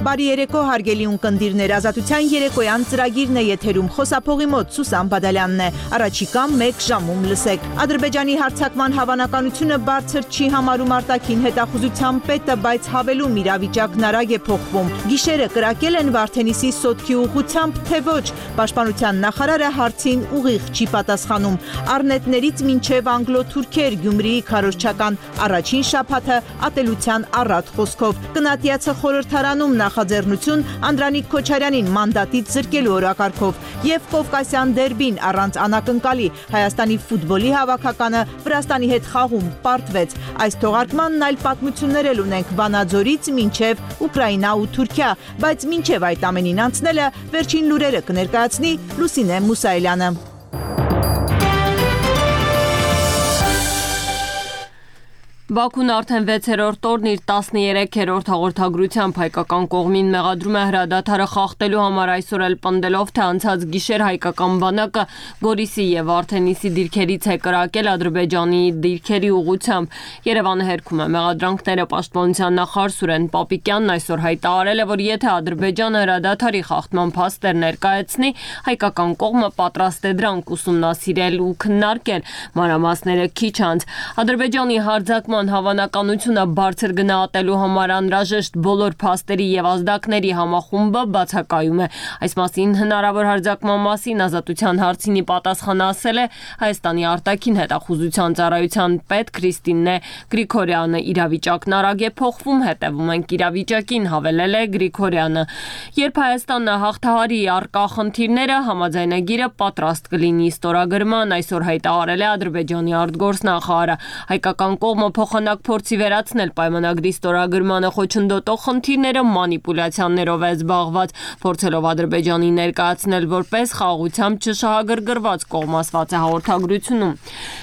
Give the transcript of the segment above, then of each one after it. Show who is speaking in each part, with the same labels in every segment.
Speaker 1: Բարի երեկո հարգելի ունկնդիրներ, Ազատության երեկոյան ծրագիրն է եթերում, խոսափողի մոտ Սուսան Բադալյանն է, առաջիկա 1 ժամում լսեք։ Ադրբեջանի հարձակման հավանականությունը բարձր չի համարում արտաքին հետախուզության պետը, բայց հավելում իրավիճակն արագ է փոխվում։ Գիշերը կրակել են Վարդենիսի սոտքի ուղղությամբ, թե ոչ, պաշտպանության նախարարը հարցին ուղիղ չի պատասխանում։ Առնետներից մինչև անգլո-թուրքեր Գյումրիի քարոզչական առաջին շաբաթը ատելության առատ խոսքով։ Կնատիացը խորհրդարանում նախաձեռնություն Անդրանիկ Քոչարյանին մանդատից զրկելու օրակարգով եւ Կովկասյան դերբին առանց անակնկալի Հայաստանի ֆուտբոլի հավաքականը Վրաստանի հետ խաղում պարտվեց։ Այս թողարկմանն այլ պատմություններ էլ ունենք Վանաձորից մինչև Ուկրաինա ու Թուրքիա, բայց մինչև այդ ամենին անցնելը վերջին լուրերը կներկայացնի Լուսինե Մուսայելյանը։
Speaker 2: Բաքուն արդեն 6-րդ օրն իր 13-րդ հաղորդագրությամբ հայկական կողմին մեղադրում է հրադադարը խախտելու համար, այսօր էլ պնդելով, թե անցած գիշեր հայկական բանակը Գորիսի եւ Վարդենիսի դիրքերից է կրակել Ադրբեջանի դիրքերի ուղղությամբ։ Երևանը հերքում է մեղադրանքները։ Պաշտպանության նախարար Սուրեն Պապիկյանն այսօր հայտարարել է, որ եթե Ադրբեջանը հրադադարի խախտման փաստեր ներկայացնի, հայկական կողմը պատրաստ է դրանք ուսումնասիրել ու քննարկել։ Մանրամասները քիչ անց Ադրբեջանի հարձակման հավանականությունը բարձր գնահատելու համար անհրաժեշտ բոլոր փաստերի եւ ազդակների համախումբը բացակայում է։ Այս մասին հնարավոր հարձակման մասին Ազատության հարցինի պատասխան ասել է Հայաստանի արտաքին հետախուզության ծառայության պետ Քրիստինե Գրիգորյանը։ Իրավիճակն արագ է փոխվում, հետևում ենք իրավիճակին, հավելել է Գրիգորյանը։ Երբ Հայաստանը հաղթահարի առկա խնդիրները, համաձայնագիրը պատրաստ կլինի ստորագրման, այսօր հայտարարել է Ադրբեջանի արտգործնախարարը։ Հայկական կողմը փոխանակ փորձի վերացնել պայմանագրի ստորագրմանը խոչընդոտող խնդիրները մանիպուլյացիաներով է զբաղված, փորձելով Ադրբեջանին ներկայացնել որպես խաղաղությամբ չշահագրգռված կողմ, ասված է հաղորդագրությունում։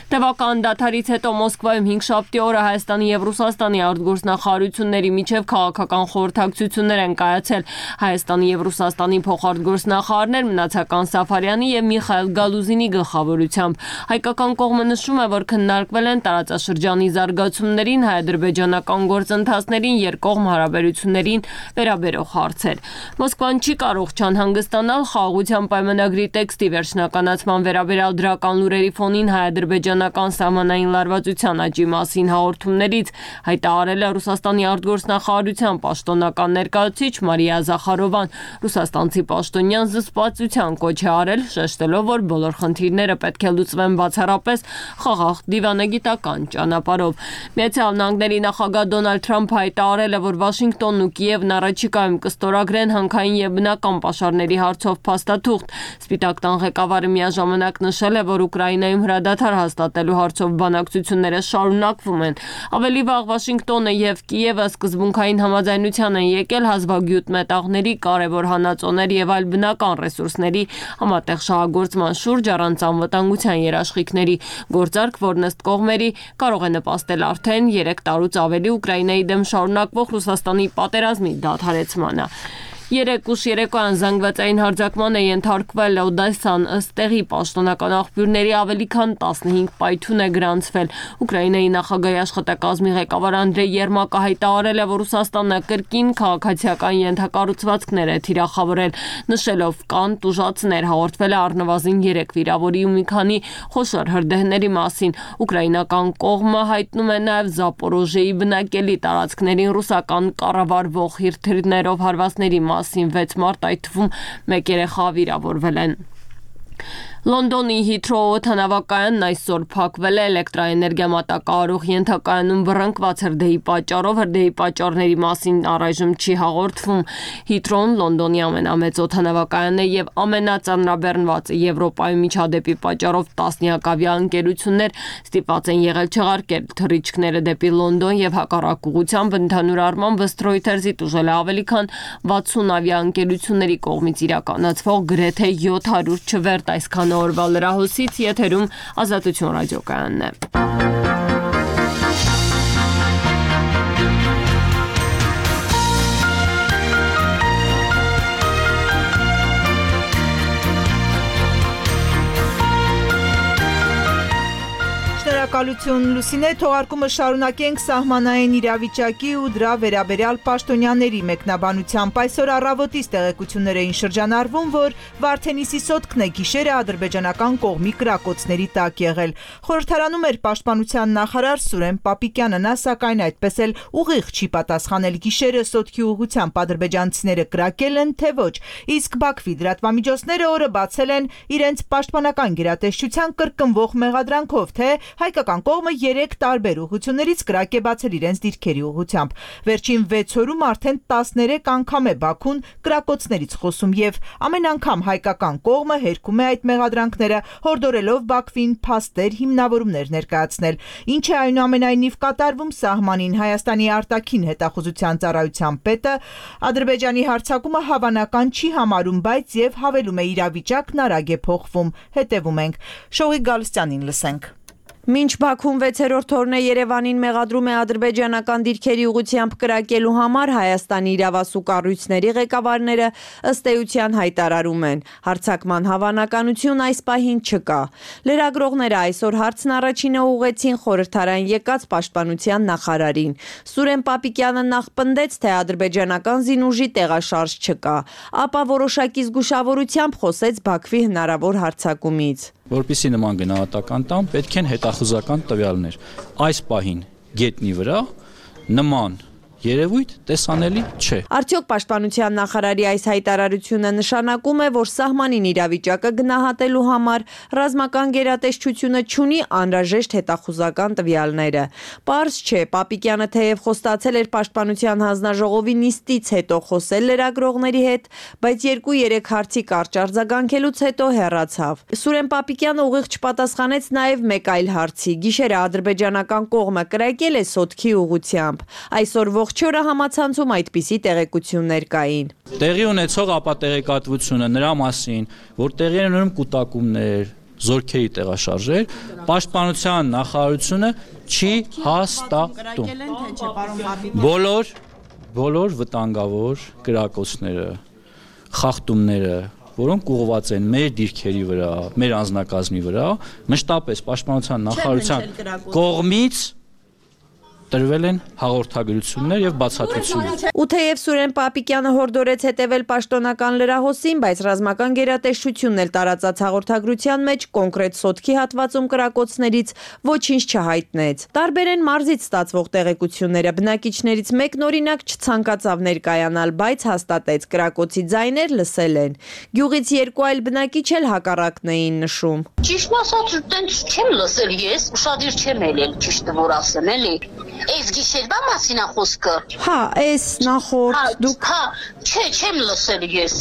Speaker 2: Տևական դադարից հետո Մոսկվայում 5-շաբթի օրը Հայաստանի եւ Ռուսաստանի արտգործնախարարությունների միջև քաղաքական խորհրդակցություններ են կայացել։ Հայաստանի եւ Ռուսաստանի փոխարտգործնախարարներ Մնացական Սաֆարյանի եւ Միխայել Գալուզինի գլխավորությամբ։ Հայկական կողմը նշում է, որ քննարկվել են տարածաշրջանի զարգացումներին, հայ-ադրբեջանական գործընթացներին, երկկողմ հարաբերություններին վերաբերող հարցեր։ Մոսկվան չի կարող չանհանգստանալ խաղաղության պայմանագրի տեքստի վերջնականացման վերաբերյալ դրական լուրերի ֆոնին հայ-ադրբեջանական սահմանային լարվածության աճի մասին հաղորդումներից, հայտարարել է Ռուսաստանի արտգործնախարարության պաշտոնական ներկայացուցիչ Մարիա Զախարովան։ Ռուսաստանցի պաշտոնյան զսպվածության կոչ է արել, շեշտելով, որ բոլոր խնդիրները պետք է լուծվեն բացառապես խաղաղ դիվանագիտական ճանապարհով։ Միացյալ Նահանգների նախագահ Դոնալդ Թրամփը հայտարարել է, որ Վաշինգտոնն ու Կիևն առաջիկայում կստորագրեն հանքային եւ բնական պաշարների հարցով փաստաթուղթ։ Սպիտակ տան ղեկավարը միաժամանակ նշել է, որ Ուկրաինայում հրադադար հաստատելու հարցով բանակցությունները շարունակվում են։ Ավելի վաղ Վաշինգտոնը եւ Կիևը սկզբունքային համաձայնության են եկել հազվագյուտ մետաղների, կարևոր հանածոների եւ այլ բնական ռեսուրսների համատեղ շահագործման շուրջ առանց անվտանգության երաշխիքների։ Գործարք, որն ըստ կողմերի կարող է նպաստել արդեն 3 տարուց ավելի Ուկրաինայի դեմ շարունակվող Ռուսաստանի պատերազմի դադարեցմանը։ 3 ուշ երեկոյան զանգվածային հարձակման է ենթարկվել Օդեսան, ըստ տեղի պաշտոնական աղբյուրների ավելի քան 15 պայթյուն է գրանցվել։ Ուկրաինայի նախագահի աշխատակազմի ղեկավար Անդրեյ Երմակը հայտարարել է, որ Ռուսաստանը կրկին քաղաքացիական ենթակառուցվածքներ է թիրախավորել, նշելով կան տուժածներ, հաղորդվել է առնվազն 3 վիրավորի ու մի քանի խոշոր հրդեհների մասին։ Ուկրաինական կողմը հայտնում է նաև Զապորոժիեի բնակելի տարածքներին ռուսական կառավարվող հրթիռներով հարվածների մասին 6 մարտ այդ թվում 1 երեխա վիրավորվել են։ Լոնդոնի Հիթրոու օդանավակայանն այսօր փակվել է էլեկտրաէներգիա մատակարարող ենթակայանում բռնկված հրդեհի պատճառով։ Հրդեհի պատճառների մասին առայժմ չի հաղորդվում։ Հիթրոուն Լոնդոնի ամենամեծ օդանավակայանն է եւ ամենածանրաբեռնվածը Եվրոպայում միջադեպի պատճառով տասնյակ ավիաընկերություններ ստիպված են եղել չեղարկել թռիչքները դեպի Լոնդոն եւ հակառակ ուղղությամբ ընդհանուր առմամբ Reuters-ի տուժել է ավելի քան 60 ավիաընկերությունների կողմից իրականացվող գրեթե 700 չվերթ այսքան օրվա լրահոսից եթերում Ազատություն ռադիոկայանն է։
Speaker 1: Շնորհակալություն Լուսինե, թողարկումը շարունակենք սահմանային իրավիճակի ու դրա վերաբերյալ պաշտոնյաների մեկնաբանությամբ։ Այսօր առավոտից տեղեկություններ էին շրջանառվում, որ Վարդենիսի սոտքն է գիշերը ադրբեջանական կողմի կրակոցների տակ եղել։ Խորհրդարանում էր պաշտպանության նախարար Սուրեն Պապիկյանը, նա սակայն այդպես էլ ուղիղ չի պատասխանել գիշերը սոտքի ուղղությամբ ադրբեջանցիները կրակել են, թե ոչ։ Իսկ Բաքվի լրատվամիջոցները օրը բացել են իրենց պաշտպանական գերատեսչության կրկնվող մեղադրանքով, թե հայկական կողմը 3 տարբեր ուղղություններից կրակ է բացել իրենց դիրքերի ուղղությամբ։ Վերջին 6 օրում արդեն 13 անգամ է Բաքուն կրակոցներից խոսում եւ ամեն անգամ հայկական կողմը հերքում է այդ մեղադրանքները, հորդորելով Բաքվին փաստեր, հիմնավորումներ ներկայացնել։ Ինչ է այնուամենայնիվ կատարվում սահմանին, Հայաստանի արտաքին հետախուզության ծառայության պետը Ադրբեջանի հարձակումը հավանական չի համարում, բայց եւ հավելում է իրավիճակն արագ է փոխվում։ Հետևում ենք։ Շողիկ Գալստյանին լսենք։ Մինչ Բաքուն 6-րդ օրն է Երևանին մեղադրում է ադրբեջանական դիրքերի ուղղությամբ կրակելու համար, Հայաստանի իրավասու կառույցների ղեկավարները ըստ էության հայտարարում են. հարձակման հավանականություն այս պահին չկա։ Լրագրողները այսօր հարցն առաջինը ուղղեցին խորհրդարան եկած պաշտպանության նախարարին։ Սուրեն Պապիկյանը նախ պնդեց, թե ադրբեջանական զինուժի տեղաշարժ չկա, ապա որոշակի զգուշավորությամբ խոսեց Բաքվի հնարավոր հարձակումից։
Speaker 3: Որպեսզի նման գնահատական տամ, պետք են հետախուզական տվյալներ։ Այս պահին գետնի վրա նման երևույթ տեսանելի չէ։
Speaker 1: Արդյոք պաշտպանության նախարարի այս հայտարարությունը նշանակում է, որ սահմանին իրավիճակը գնահատելու համար ռազմական գերատեսչությունը չունի անհրաժեշտ հետախուզական տվյալները։ Պարզ չէ, Պապիկյանը թեև խոստացել էր պաշտպանության հանձնաժողովի նիստից հետո խոսել լրագրողների հետ, բայց 2-3 հարցի կարճ արձագանքելուց հետո հեռացավ։ Սուրեն Պապիկյանը ուղիղ չպատասխանեց նաև մեկ այլ հարցի. գիշերը ադրբեջանական կողմը կրակել է սոտքի ուղղությամբ։ Այսօր ողջ օրը համացանցում այդպիսի տեղեկություններ կային։
Speaker 3: Տեղի ունեցող ապատեղեկատվությունը նրա մասին, որ տեղի են ունենում կուտակումներ, զորքերի տեղաշարժեր, պաշտպանության նախարարությունը չի հաստատում։ Բոլոր վտանգավոր կրակոցները, խախտումները, որոնք ուղղված են մեր դիրքերի վրա, մեր անձնակազմի վրա, մշտապես պաշտպանության նախարարության կողմից տրվել են հաղորդագրություններ եւ բացատրություններ։
Speaker 1: Ու թեև Սուրեն Պապիկյանը հորդորեց հետևել պաշտոնական լրահոսին, բայց ռազմական գերատեսչությունն էլ տարածած հաղորդագրության մեջ կոնկրետ սոտքի հատվածում կրակոցներից ոչինչ չհայտնեց։ Տարբեր են մարզից ստացվող տեղեկությունները, բնակիչներից մեկն օրինակ չցանկացավ ներկայանալ, բայց հաստատեց կրակոցի ձայներ լսել են։ Գյուղից 2 այլ բնակիչ էլ հակառակն էին նշում։
Speaker 4: Ճիշտն ասած, տենց չեմ լսել ես, ուշադիր չեմ ելել, ճիշտը որ ասեմ, էլի։ Այս գիշերվա մասին է խոսքը։
Speaker 1: Հա, այս նախորդ դուք
Speaker 4: չէ, չեմ լսել ես։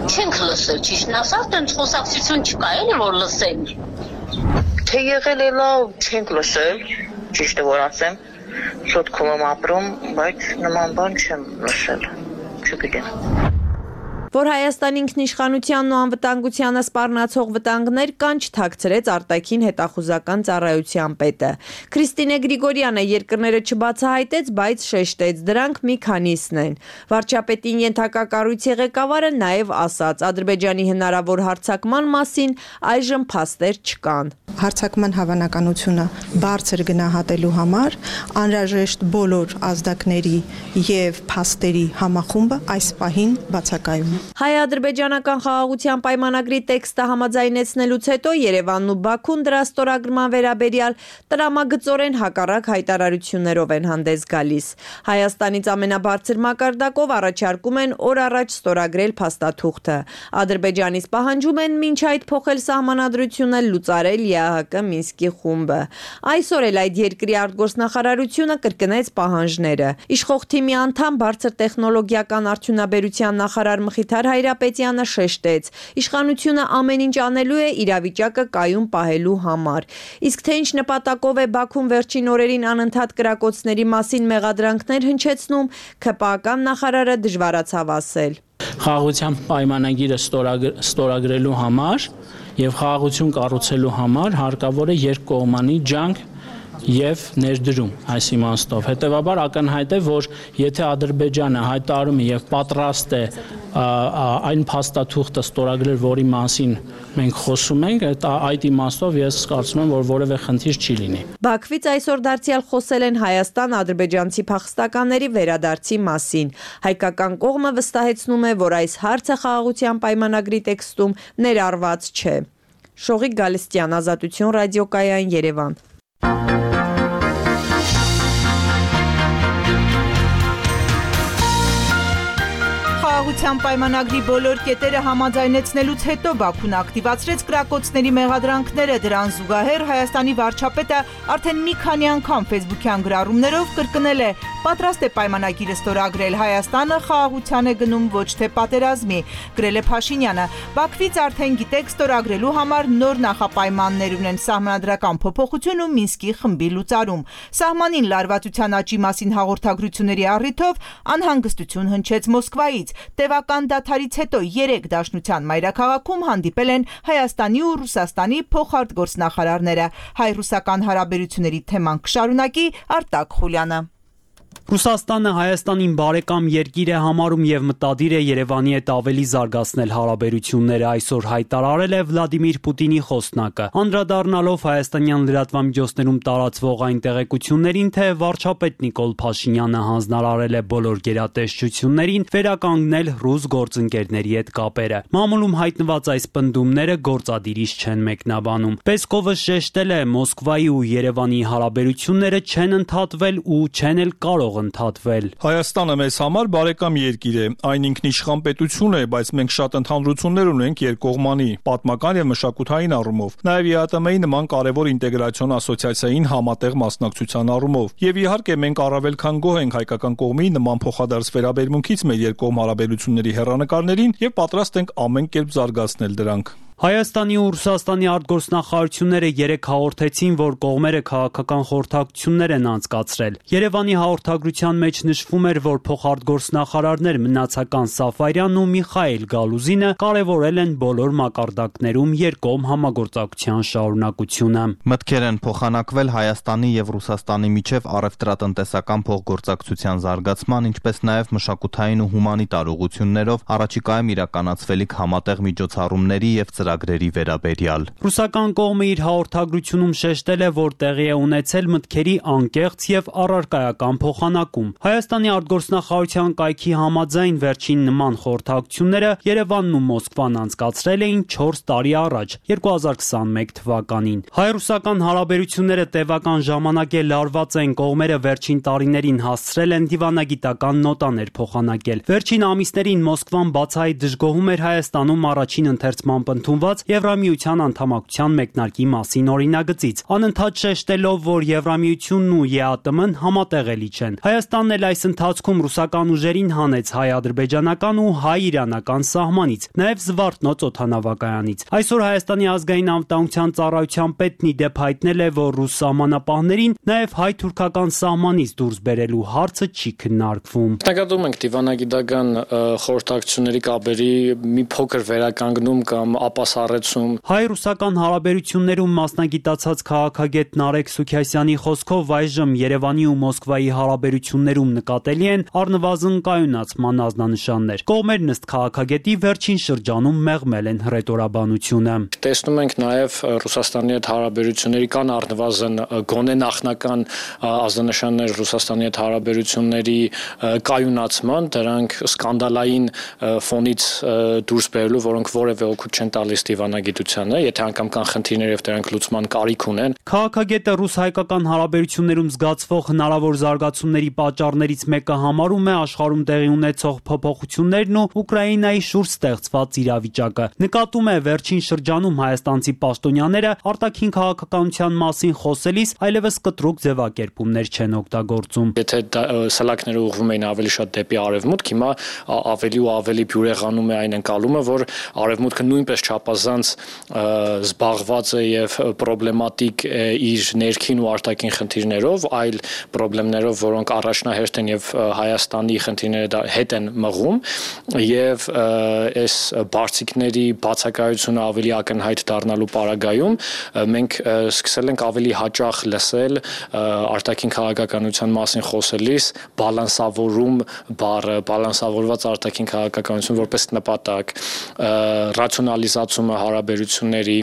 Speaker 4: Չենք լսել, ճիշտն ասած, տենց խոսակցություն չկա, էլի որ լսենք։ Թե եղել է լավ, չենք լսել, ճիշտը որ ասեմ, սոտքում եմ ապրում, բայց նման բան չեմ լսել, չգիտեմ։
Speaker 1: Որ Հայաստանի ինքնիշխանությանն ու անվտանգությանը սպառնացող վտանգներ կան, չթաքցրեց արտաքին հետախուզական ծառայության պետը։ Քրիստինե Գրիգորյանը երկրները չբացահայտեց, բայց շեշտեց, դրանք մի քանիսն են։ Վարչապետին ենթակա կառույցի ղեկավարը նաև ասաց, Ադրբեջանի հնարավոր հարձակման մասին այժմ փաստեր չկան։
Speaker 5: Հարձակման հավանականությունը բարձր գնահատելու համար անհրաժեշտ բոլոր ազդակների եւ փաստերի համախումբը այս պահին բացակայում է։
Speaker 1: Հայ-ադրբեջանական խաղաղության պայմանագրի տեքստը համաձայնեցնելուց հետո Երևանն ու Բաքուն դրա ստորագրման վերաբերյալ տրամագծորեն հակառակ հայտարարություններով են հանդես գալիս։ Հայաստանից ամենաբարձր մակարդակով առաջարկում են օր առաջ ստորագրել փաստաթուղթը։ Ադրբեջանից պահանջում են մինչ այդ փոխել սահմանադրությունը, լուծարել ԵԱՀԿ Մինսկի խումբը։ Այսօր էլ այդ երկրի արտգործնախարարությունը կրկնեց պահանջները։ Իշխող թիմի անդամ բարձր տեխնոլոգիական արդյունաբերության նախարար Մխիթար Հայրապետյանը շեշտեց, իշխանությունը ամեն ինչ անելու է իրավիճակը կայուն պահելու համար։ Իսկ թե ինչ նպատակով է Բաքուն վերջին օրերին անընդհատ կրակոցների մասին մեղադրանքներ հնչեցնում, ՔՊԱ-ական նախարարը դժվարացավ ասել։
Speaker 6: Խաղաղության պայմանագիրը ստորագրելու համար եւ խաղաղություն կառուցելու համար հարկավոր է երկկողմանի ջանք եւ ներդրում այս իմաստով։ Հետեւաբար ակնհայտ է, որ եթե Ադրբեջանը հայտարարում է եւ պատրաստ է այն փաստաթուղթը ստորագրել, որի մասին մենք խոսում ենք, այդ իմաստով ես կարծում եմ, որ որևէ խնդիր չի լինի։
Speaker 1: Բաքվից այսօր դարձյալ խոսել են հայաստան-ադրբեջանցի փախստականների վերադարձի մասին։ Հայկական կողմը վստահեցնում է, որ այս հարցը խաղաղության պայմանագրի տեքստում ներառված չէ։ Շողիկ Գալստյան, Ազատություն ռադիոկայան, Երևան։ Խաղաղության պայմանագրի բոլոր կետերը համաձայնեցնելուց հետո Բաքուն ակտիվացրեց կրակոցների մեղադրանքները, դրան զուգահեռ Հայաստանի վարչապետը արդեն մի քանի անգամ ֆեյսբուքյան գրառումներով կրկնել է, պատրաստ է պայմանագիրը ստորագրել, Հայաստանը խաղաղության է գնում, ոչ թե պատերազմի, գրել է Փաշինյանը։ Բաքվից արդեն գիտեք, ստորագրելու համար նոր նախապայմաններ ունեն սահմանադրական փոփոխություն ու Մինսկի խմբի լուծարում։ Սահմանին լարվածության աճի մասին հաղորդագրությունների առիթով անհանգստություն հնչեց Մոսկվայից։ Տևական դադարից հետո 3 դաշնության մայրաքաղաքում հանդիպել են Հայաստանի ու Ռուսաստանի փոխարտգործնախարարները։ Հայ-ռուսական հարաբերությունների թեման կշարունակի Արտակ Խուլյանը։
Speaker 7: Ռուսաստանը Հայաստանին բարեկամ երկիր է համարում եւ մտադիր է Երևանի հետ ավելի զարգացնել հարաբերությունները, այսօր հայտարարել է Վլադիմիր Պուտինի խոսնակը։ Անդրադառնալով հայաստանյան լրատվամիջոցներում տարածվող այն տեղեկություններին, թե վարչապետ Նիկոլ Փաշինյանը հանձնարարել է բոլոր գերատեսչություններին վերականգնել ռուս գործընկերների հետ կապերը։ Մամուլում հայտնված այս պնդումները գործադիրից չեն մեկնաբանում։ Պեսկովը շեշտել է, Մոսկվայի ու Երևանի հարաբերությունները չեն ընդհատվել ու չեն էլ կարող ընդհատվել։
Speaker 8: Հայաստանը մեզ համար բարեկամ երկիր է, այն ինքնիշխան պետություն է, բայց մենք շատ ընդհանրություններ ունենք երկկողմանի, պատմական եւ մշակութային առումով, նաեւ ԵԱՏՄ-ի նման կարևոր ինտեգրացիոն ասոցիացիային համատեղ մասնակցության առումով։ Եվ իհարկե մենք առավել քան գոհ ենք հայկական կողմի նման փոխադարձ վերաբերմունքից մեր երկկողմ հարաբերությունների հեռանկարներին եւ պատրաստ ենք ամեն կերպ զարգացնել դրանք։
Speaker 7: Հայաստանի ու Ռուսաստանի արտգործնախարարությունները երեկ հաղորդեցին, որ կողմերը քաղաքական խորհրդակցություններ են անցկացրել։ Երևանի հաղորդագրության մեջ նշվում էր, որ փոխարտգործնախարարներ Մնացական Սաֆարյանն ու Միխայել Գալուզինը կարևորել են բոլոր մակարդակներում երկկողմ համագործակցության շարունակությունը։
Speaker 9: Մտքեր են փոխանակվել Հայաստանի եւ Ռուսաստանի միջև առևտրատնտեսական փոխգործակցության զարգացման, ինչպես նաեւ մշակութային ու հումանիտար ուղղություններով առաջիկայում իրականացվելիք համատեղ միջոցառումների եւ ծրագրերի վերաբերյալ։
Speaker 7: Ռուսական կողմը իր հաղորդագրությունում շեշտել է, որ տեղի է ունեցել մտքերի անկեղծ եւ առարկայական փոխանակում։ Հայաստանի արտգործնախարարության կայքի համաձայն վերջին նման խորհրդակցությունները Երևանն ու Մոսկվան անցկացրել էին 4 տարի առաջ, 2021 թվականին։ Հայ-ռուսական հարաբերությունները տևական ժամանակ է լարված են, կողմերը վերջին տարիներին հասցրել են դիվանագիտական նոտաներ փոխանակել։ Վերջին ամիսներին Մոսկվան բացահայտ դժգոհում էր Հայաստանում առաջին ընթերցման ընդունված Եվրամիության անդամակցության մեկնարկի մասին օրինագծից, անընդհատ շեշտելով, որ Եվրամիությունն ու ԵԱՏՄ-ն համատեղելի չեն։ Հայաստանն էլ այս ընթացքում ռուսական ուժերին հանեց հայ-ադրբեջանական ու հայ-իրանական սահմանից, նաև Զվարթնոց օդանավակայանից։ Այսօր Հայաստանի ազգային անվտանգության ծառայության պետն ի դեպ հայտնել է, որ ռուս սահմանապահներին նաև հայ-թուրքական սահմանից դուրս բերելու հարցը չի քննարկվում։
Speaker 6: Նկատում ենք դիվանագիտական խորհրդակցությունների կապերի մի փոքր վերականգնում կամ ապասառեցում։
Speaker 7: Հայ-ռուսական հարաբերություններում մասնագիտացած քաղաքագետ Նարեկ Սուքյասյանի խոսքով այժմ Երևանի ու Մոսկվայի հարաբերություններում նկատելի են առնվազն կայունացման ազդանշաններ։ Կողմերն ըստ քաղաքագետի վերջին շրջանում մեղմել են հռետորաբանությունը։
Speaker 6: Տեսնում ենք նաև Ռուսաստանի հետ հարաբերությունների կան առնվազն գոնե նախնական ազդանշաններ Ռուսաստանի հետ հարաբերությունների կայունացման, դրանք սկանդալային ֆոնից դուրս բերելու, որոնք որևէ օգուտ չեն տալիս դիվանագիտությանը, եթե անգամ կան խնդիրներ եւ դրանք լուծման կարիք ունեն։
Speaker 7: Քաղաքագետը ռուս-հայկական հարաբերություններում զգացվող հնարավոր զարգացումների պատճառներից մեկը համարում է աշխարհում տեղի ունեցող փոփոխություններն ու Ուկրաինայի շուրջ ստեղծված իրավիճակը։ Նկատում է վերջին շրջանում հայաստանցի պաշտոնյաները արտաքին քաղաքականության մասին խոսելիս այլևս կտրուկ ձևակերպումներ չեն օգտագործում։
Speaker 6: Եթե սլաքները ուղղվում էին ավելի շատ դեպի արևմուտք, հիմա ավելի ու ավելի բյուրեղանում է այն ընկալումը, որ արևմուտքը նույնպես չափազանց զբաղված է եւ պրոբլեմատիկ է իր ներքին ու արտաքին խնդիրներով, այլ պրոբլեմներով, որոնք առաջնահերթ են եւ Հայաստանի խնդիրները հետ են մղում եւ այս բարձիկների բացակայությունը ավելի ակնհայտ դառնալու պարագայում մենք սկսել ենք ավելի հաճախ լսել արտաքին քաղաքականության մասին խոսելիս բալանսավորում բառը, բալանսավորված արտաքին քաղաքականություն որպես նպատակ, ռացիոնալիզացումը հարաբերությունների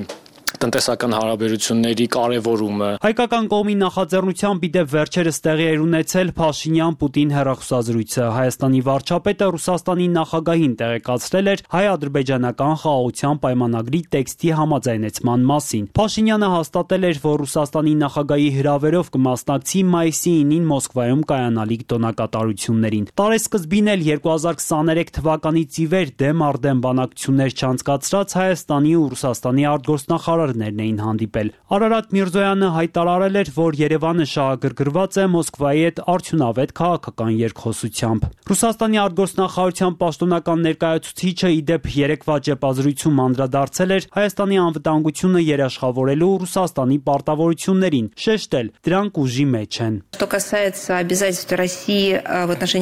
Speaker 6: տնտեսական հարաբերությունների կարևորումը
Speaker 7: Հայկական կողմի նախաձեռնությամբ իդեպ վերջերս տեղի էր ունեցել Փաշինյան-Պուտին հեռախոսազրույցը։ Հայաստանի վարչապետը Ռուսաստանի նախագահին տեղեկացրել էր հայ-ադրբեջանական խաղաղության պայմանագրի տեքստի համաձայնեցման մասին։ Փաշինյանը հաստատել էր, որ Ռուսաստանի նախագահի հրավերով կմասնակցի մայիսի 9-ին Մոսկվայում կայանալիք տոնակատարություններին։ Տարեսկզբին էլ 2023 թվականից ի վեր դեմ առ դեմ բանակցություններ չանցկացրած Հայաստանի ու Ռուսաստանի արտգործնախարարներն էին հանդիպել։ Արարատ Միրզոյանը հայտարարել էր, որ Երևանը շահագրգռված է Մոսկվայի հետ արդյունավետ քաղաքական երկխոսությամբ։ Ռուսաստանի արտգործնախարարության պաշտոնական ներկայացուցիչը իդեպ երեկվա ճեպազրույցում անդրադարձել էր Հայաստանի անվտանգությունը երաշխավորելու Ռուսաստանի պարտավորություններին, շեշտել դրանք ուժի մեջ են։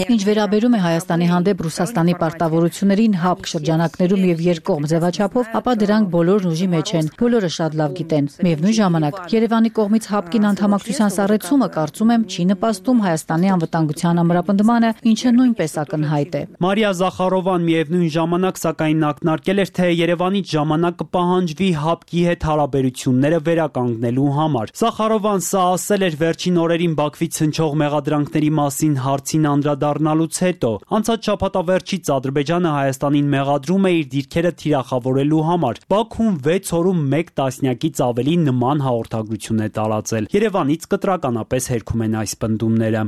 Speaker 10: Ինչ վերաբերում է Հայաստանի հանդեպ Ռուսաստանի պարտավորություններին հապկ շրջանակներում եւ երկկողմ ձևաչափով, ապա դրանք բոլորն ուժի մեջ են, բոլորը շատ լավ գիտեն։ Միևնույն ժամանակ Երևանի կողմից հապկին անդամակցության սառեցումը կարծում եմ չի նպաստում Հայաստանի անվտանգության ամրապնդմանը, ինչը նույնպես ակնհայտ է։
Speaker 7: Մարիա Զախարովան միևնույն ժամանակ սակայն ակնարկել էր, թե Երևանից ժամանակ կպահանջվի հապկի հետ հարաբերությունները վերականգնելու համար։ Զախարովան սա ասել էր վերջին օրերին Բաքվից հնչող մեղադրանքների մասին հարցին անդրադառնալուց հետո։ Անցած շաբաթավերջից Ադրբեջանը Հայաստանին մեղադրում է իր դիրքերը թիրախավորելու համար։ Բաքուն 6 օրում 1 տասնյակից ավելի նման հաղորդագրություն է տարածել։ Երևանից կտրականապես հերքում են այս պնդումները։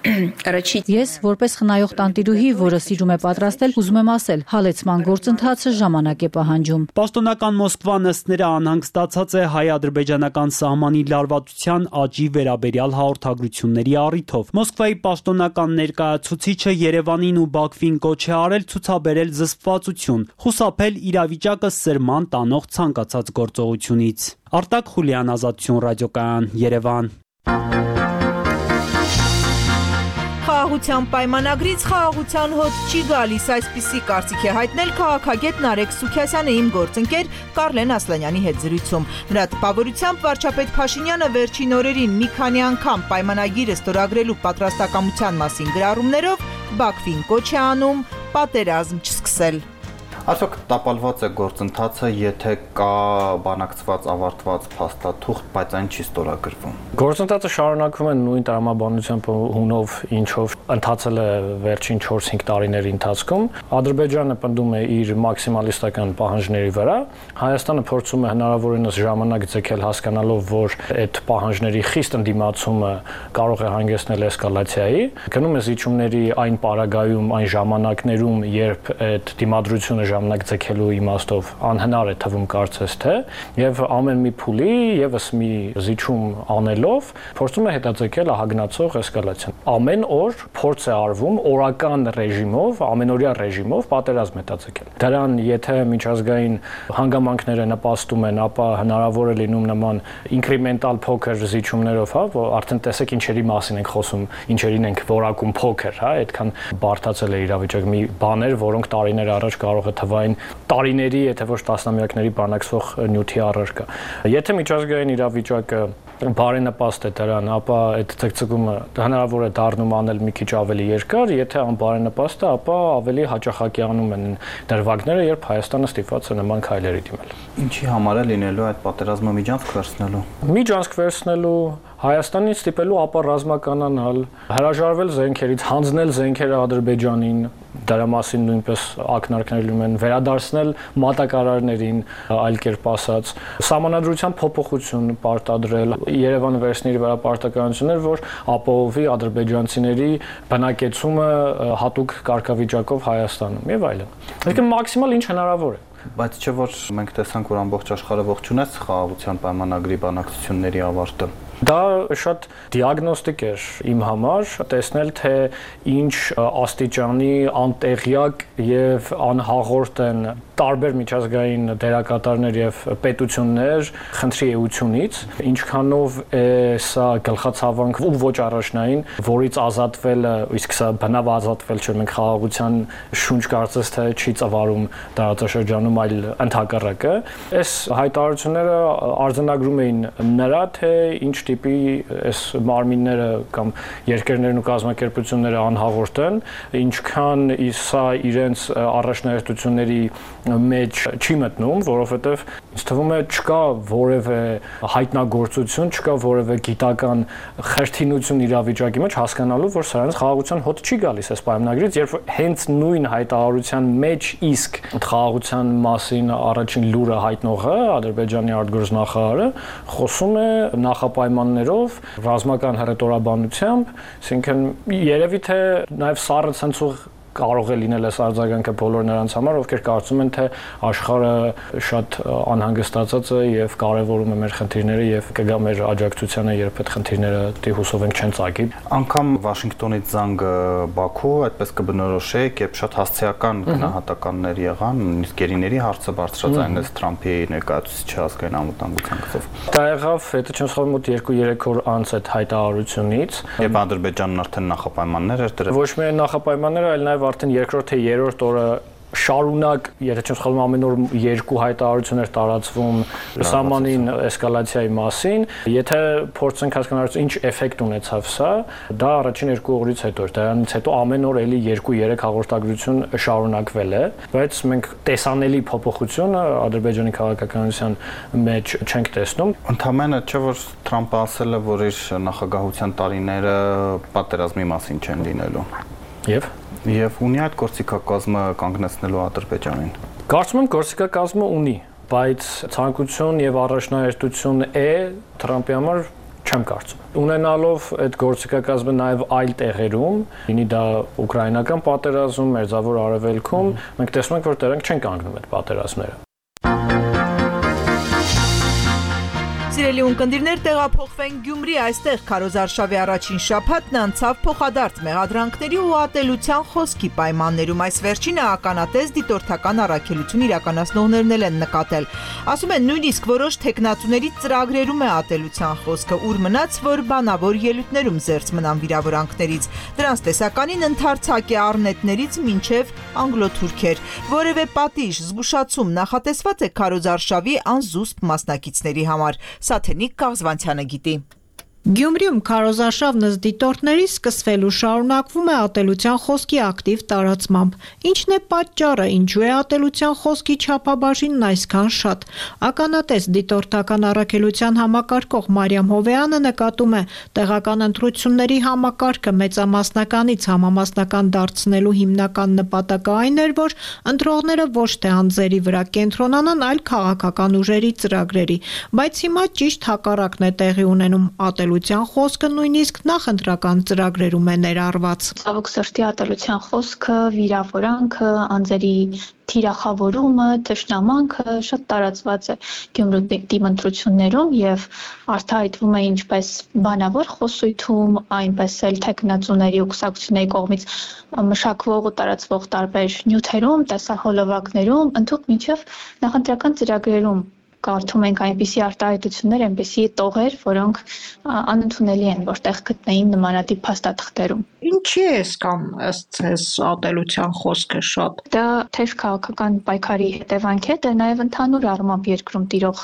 Speaker 10: Ես որպես խնայող տանտիրուհի, որը սիրում է պատրաստել, ուզում եմ ասել, հալեցման գործընթացը ժամանակ է պահանջում։
Speaker 7: Պաշտոնական Մոսկվան ըստ նրա անհանգստացած է հայ-ադրբեջանական սահմանի լարվածության աճի վերաբերյալ հաղորդագրությունների առիթով։ Մոսկվայի պաշտոնական ներկայացուցիչը Երևանին ու Բաքվին կոչ է արել ցուցաբերել զսպվածություն, խուսափել իրավիճակը սրման տանող ցանկացած գործողությունից։ Արտակ Խուլյան, Ազատություն ռադիոկայան, Երևան։
Speaker 1: Խաղաղության պայմանագրից խաղաղության հոտ չի գալիս, այսպիսի կարծիք է հայտնել քաղաքագետ Նարեկ Սուքիասյանը իմ գործընկեր Կարլեն Ասլանյանի հետ զրույցում։ Նրա տպավորությամբ վարչապետ Փաշինյանը վերջին օրերին մի քանի անգամ պայմանագիրը ստորագրելու պատրաստակամության մասին գրառումներով Բաքվին կոչ է անում պատերազմ չսկսել։
Speaker 9: Արդյոք տապալված է գործընթացը, եթե կա բանակցված ավարտված փաստաթուղթ, բայց այն չի ստորագրվում։
Speaker 6: Գործընթացը շարունակվում է նույն տրամաբանությամբ հունով, ինչով ընթացել է վերջին 4-5 տարիների ընթացքում։ Ադրբեջանը պնդում է իր մաքսիմալիստական պահանջների վրա, Հայաստանը փորձում է հնարավորինս ժամանակ ձգել հասկանալով, որ այդ պահանջների խիստ ընդդիմացումը կարող է հանգեցնել էսկալացիայի։ Գնում է զիջումների այն պարագայում, այն ժամանակներում, երբ այդ դիմադրությունը ժամանակ ձգելու իմաստով անհնար է թվում կարծես թե, եւ ամեն մի փուլի եւս մի զիջում անելով փորձում է հետաձգել ահագնացող էսկալացիան։ Ամեն օր փորձ է արվում օրական ռեժիմով, ամենօրյա ռեժիմով պատերազմ հետաձգել։ Դրան եթե միջազգային հանգամանքները նպաստում են, ապա հնարավոր է լինում նման ինկրեմենտալ փոքր զիջումներով, հա, որ արդեն տեսեք ինչերի մասին ենք խոսում, ինչերին ենք որակում փոքր, հա, այդքան բարդացել է իրավիճակը, մի բաներ, որոնք տարիներ առաջ կարող է թվային տարիների, եթե ոչ տասնամյակների բանակցող նյութի առարկա։ Եթե միջազգային իրավիճակը բարենպաստ է դրան, ապա այդ ցկցկումը հնարավոր է դառնում անել մի քիչ ավելի երկար, եթե անբարենպաստ է, ապա ավելի հաճախակիանում են դրվագները, երբ Հայաստանը ստիպված է նման քայլերի դիմել։
Speaker 9: Ինչի համար է լինելու այդ պատերազմը միջանցք վերցնելու։
Speaker 6: Միջանցք վերցնելու, Հայաստանից ստիպելու ապա ռազմականանալ, հրաժարվել զենքերից, հանձնել զենքերը Ադրբեջանին, դրա մասին նույնպես ակնարկներ լինում են, վերադարձնել մատակարարներին, այլ կերպ ասած, սահմանադրության փոփոխություն պարտադրել, Երևանը վերցնի իր վրա պարտականություններ, որ ապահովի ադրբեջանցիների բնակեցումը հատուկ կարգավիճակով Հայաստանում եւ այլն։ Այսինքն մաքսիմալ ինչ հնարավոր է։
Speaker 9: Բայց չէ որ մենք տեսանք, որ ամբողջ աշխարհը ողջունեց խաղաղության պայմանագրի բանակցությունների ավարտը։
Speaker 6: Դա շատ դիագնոստիկ էր իմ համար, տեսնել թե ինչ աստիճանի անտեղյակ եւ անհաղորդ են տարբեր միջազգային դերակատարներ եւ պետություններ խնդրի էությունից, ինչքանով է սա գլխացավանք ու ոչ առաջնային, որից ազատվելը, իսկ սա բնավ ազատվել չէ, մենք խաղաղության շունչ կարծես թե չի ծավալում տարածաշրջանում, այլ ընդհակառակը։ Այս հայտարարությունները արձանագրում էին նրա թե ինչ տիպի այս մարմինները կամ երկրներն ու կազմակերպությունները անհաղորդ են, ինչքան սա իրենց առաջնահերթությունների մեջ չի մտնում, որովհետև ինձ թվում է չկա որևէ հայտնագործություն, չկա որևէ գիտական խրթինություն իրավիճակի մեջ հասկանալու, որ սրանց խաղաղության հոտ չի գալիս այս պայմանագրից, երբ հենց նույն հայտարարության մեջ իսկ խաղաղության մասին առաջին լուրը հայտնողը, Ադրբեջանի արտգործնախարարը, խոսում է նախապայմաններով, ռազմական հռետորաբանությամբ, այսինքն երևի թե նաև սառը ցնցող կարող է լինել այս արձագանքը բոլոր նրանց համար, ովքեր կարծում են, թե աշխարհը շատ անհանգստացած է եւ կարեւորում է մեր խնդիրները եւ կգա մեր աջակցությանը, երբ այդ խնդիրները դիհուսով են չեն ծագի։
Speaker 9: Անկամ Վաշինգտոնից զանգ Բաքու այդպես կբնորոշեք, երբ շատ հասցեական գնահատականներ եղան, նույնիսկ գերիների հարցը բարձրացանեց Թրամփի ներկայացուցիչի ազգային անվտանգության գծով։
Speaker 6: Դա եղավ, եթե չեմ սխալվում, մոտ 2-3 օր անց այդ հայտարարությունից,
Speaker 9: երբ Ադրբեջանն արդեն նախապայմաններ էր դրել։
Speaker 6: Ոչ միայն նախապայմանները, այլ նաեւ արդեն երկրորդ թե երրորդ օրը շարունակ, եթե չեմ սխալվում, ամեն օր 2 հայտարարություն էր տարածվում սահմանին էսկալացիայի մասին։ Եթե փորձենք հասկանալ ինչ էֆեկտ ունեցավ սա, դա առաջին 2 օրից հետո էր։ Դրանից հետո ամեն օր էլի 2-3 հաղորդագրություն շարունակվել է, բայց մենք տեսանելի փոփոխություն Ադրբեջանի քաղաքականության մեջ չենք տեսնում։
Speaker 9: Ընդհանրապես չէ որ Թրամփը ասել է, որ իր նախագահության տարիները պատերազմի մասին չեն լինելու։ Եվ ունի այդ գործիքակազմը կանգնեցնելու Ադրբեջանին։
Speaker 6: Կարծում եմ գործիքակազմը ունի, բայց ցանկություն եւ առաջնահերթություն է Թրամփի համար չեմ կարծում։ Ունենալով այդ գործիքակազմը նաև այլ տեղերում, լինի դա ուկրաինական պատերազմ, Մերձավոր Արևելքում, մենք տեսնում ենք, որ դրանք չեն կանգնում այդ պատերազմները։
Speaker 1: Սիրելի ունկնդիրներ, տեղափոխվենք Գյումրի, այստեղ Քարոզ Արշավի առաջին շաբաթն անցավ փոխադարձ մեղադրանքների ու ատելության խոսքի պայմաններում։ Այս վերջինը ականատես դիտորդական առաքելություն իրականացնողներն են նկատել։ Ասում են, նույնիսկ որոշ թեկնածուների ծրագրերում է ատելության խոսքը, ուր մնաց, որ բանավոր ելույթներում զերծ մնան վիրավորանքներից։ Դրանց տեսականին ընդարձակ է առնետներից մինչև անգլոթուրքեր։ Որևէ պատիժ, զգուշացում նախատեսված է Քարոզ Արշավի անզուսպ մասնակիցների համար։ Սաթենիկ Կաղզվանցյանը գիտի։
Speaker 11: Գյումրիում քարոզարշավ նզդիտորդների սկսվելու շարունակվում է ատելության խոսքի ակտիվ տարածմամբ։ Ինչն է պատճառը, ինչու է ատելության խոսքի չափաբաժինն այսքան շատ։ Ականատես դիտորդական առաքելության համակարգող Մարիամ Հովեյանը նկատում է, տեղական ընտրությունների համակարգը մեծամասնականից համամասնական դարձնելու հիմնական նպատակը այն էր, որ ընտրողները ոչ թե անձերի վրա կենտրոնանան, այլ քաղաքական ուժերի ծրագրերի, բայց հիմա ճիշտ հակառակն է տեղի ունենում ատելության խոսքը նույնիսկ նախընտրական ծրագրերում է ներառված։
Speaker 12: Ցավոք սրտի ատելության խոսքը, վիրավորանքը, անձերի թիրախավորումը, թշնամանքը շատ տարածված է Գյումրու դիմընտրություններում եւ արտահայտվում է ինչպես բանավոր խոսույթում, այնպես էլ թեկնածուների ու կուսակցությունների կողմից մշակվող ու տարածվող տարբեր նյութերում, տեսահոլովակներում, ընդհանուր մինչև նախընտրական ծրագրերում կարդում ենք այնպիսի արտահայտություններ, այնպիսի տողեր, որոնք անընդունելի են, որտեղ գտնեին նմանատիպ փաստաթղթերում։
Speaker 11: Ինչի է կամ ըստ ձեզ ատելության խոսքը շատ։
Speaker 12: Դա թեժ քաղաքական պայքարի հետևանք է, դա նաև ընդհանուր առմամբ երկրում տիրող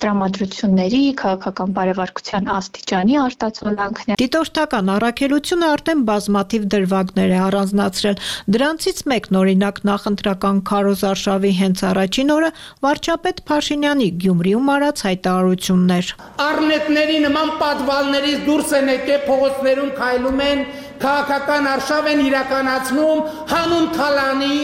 Speaker 12: տրամադրությունների, քաղաքական բարեվարկության աստիճանի արտացոլանքն է։
Speaker 11: Դիտորդական առաքելությունը արդեն բազմաթիվ դրվագներ է առանձնացրել։ Դրանցից մեկն օրինակ նախընտրական քարոզարշավի հենց առաջին օրը վարչապետ Փաշինյանի Գյումրիում արած հայտարարություններ։
Speaker 13: Առնետների նման պատվալներից դուրս են եկել, փողոցներում քայլում են, քաղաքական արշավ են իրականացնում հանուն թալանի,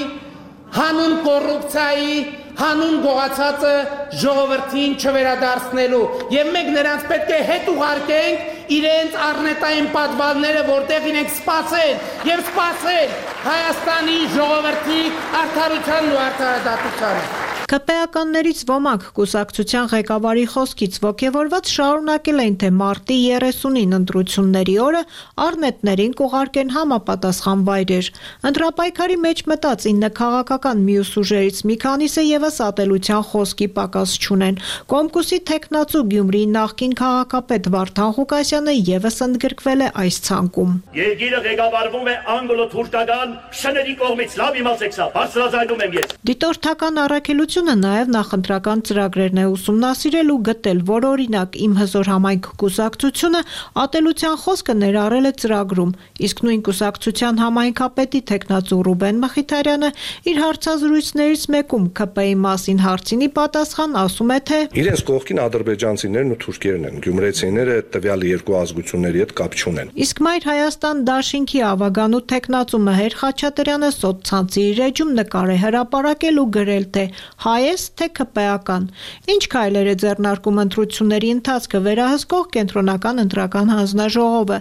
Speaker 13: հանուն կոռուպցիայի, հանուն գողացածը ժողովրդին չվերադարձնելու եւ մենք նրանց պետք է հետ ուղարկենք իրենց առնետային պատվալները, որտեղ իրենք սպասեն եւ սպասեն Հայաստանի ժողովրդի արդարությանն ու արդարադատությանը։
Speaker 11: ԿՊ-ականներից ոմանք կուսակցության ղեկավարի խոսքից ոգևորված շարունակել են, թե մարտի 30-ին ընտրությունների օրը առնետներին կուղարկեն համապատասխան վայրեր։ Ընտրապայքարի մեջ մտած 9 քաղաքական մյուս ուժերից մի քանիսը ևս ատելության խոսքի պակաս չունեն։ Կոմկուսի թեկնածու Գյումրիի նախկին քաղաքապետ Վարդան Ղուկասյանը ևս ընդգրկվել է այս ցանկում։
Speaker 14: Երկիրը ղեկավարվում է անգլո-թուրքական շների կողմից, լավ իմացեք սա, բարձրաձայնում եմ ես։
Speaker 11: Դիտորդական առաքելությունը նաև նախընտրական ծրագրերն է ուսումնասիրել ու գտել, որ օրինակ Իմ հզոր համայնք կուսակցությունը ատելության խոսքը ներառել է ծրագրում, իսկ նույն կուսակցության համայնքապետի թեկնածու Ռուբեն Մխիթարյանը իր հարցազրույցներից մեկում ԿՊ-ի մասին հարցինի պատասխան ասում է, թե
Speaker 15: իրենց կողքին ադրբեջանցիներն ու թուրքերն են, գյումրեցիները տվյալ երկու ազգությունների հետ կապ չունեն։
Speaker 11: Իսկ Մայր Հայաստան դաշինքի ավագանու թեկնածու Մհեր Խաչատրյանը սոցցանցի իր էջում նկար է հրապարակել ու գրել, թե հայ-ես, թե ԿՊ-ական։ Ինչ քայլեր է ձեռնարկում ընտրությունների ընթացքը վերահսկող կենտրոնական ընտրական հանձնաժողովը։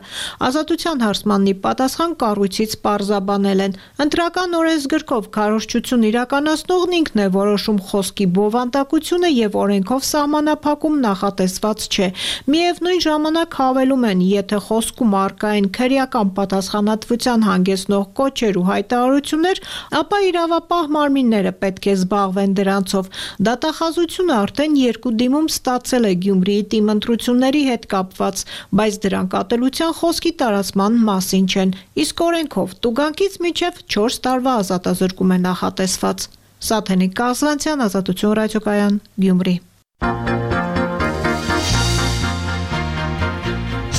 Speaker 11: Ազատության հարցմանն ի պատասխան կառույցից պարզաբանել են։ Ընտրական օրենսգրքով քարոզչություն իրականացնողն ինքն է որոշում խոսքի բովանդակությունը եւ օրենքով սահմանափակում նախատեսված չէ։ Միևնույն ժամանակ հավելում են, եթե խոսքում առկա են քրեական պատասխանատվության հանգեցնող կոչեր ու հայտարարություններ, ապա իրավապահ մարմինները պետք է զբաղվեն դրանցով։ Դատախազությունը արդեն երկու դիմում ստացել է Գյումրիի թիմ ընտրությունների հետ կապված, բայց դրանք ատելության խոսքի տարածման մասին չեն։ Իսկ օրենքով տուգանքից մինչև 4 տարվա ազատազրկում է նախատեսված։ Սաթենիկ Կազլանցյան, Ազատություն ռադիոկայան, Գյումրի։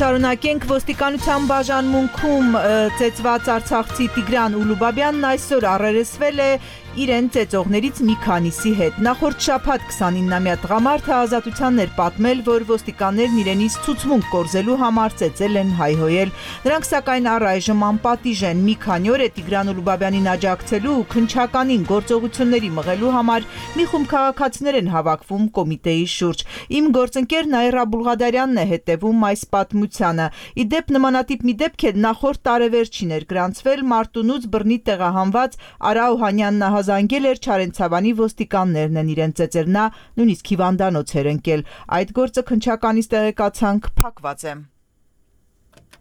Speaker 1: Շարունակենք ոստիկանության բաժանմունքում ծեծված արցախցի Տիգրան Ուլուբաբյանն այսօր առերեսվել է իրեն ծեծողներից մի քանիսի հետ։ Նախորդ շաբաթ 29-ամյա տղամարդը ազատությանն էր պատմել, որ ոստիկաններն իրենից ցուցմունք կորզելու համար ծեծել են, հայհոյել։ Նրանք սակայն առայժմ անպատիժ են։ Մի քանի օր է Տիգրան Ուլուբաբյանին աջակցելու ու քննչականին գործողությունների մղելու համար մի խումբ քաղաքացիներ են հավաքվում կոմիտեի շուրջ։ Իմ գործընկեր Նաիրա Բուլղադարյանն է հետևում այս պատմությանը։ Իդեպ նմանատիպ մի դեպք է նախորդ տարեվերջին էր գրանցվել Մարտունուց բռնի տեղահանված Արա Օհանյանն զանգել էր Չարենցավանի ոստիկաններն են իրեն ծեծել, նա նույնիսկ հիվանդանոց էր ընկել։ Այդ գործը քննչականից տեղեկացանք փակված է։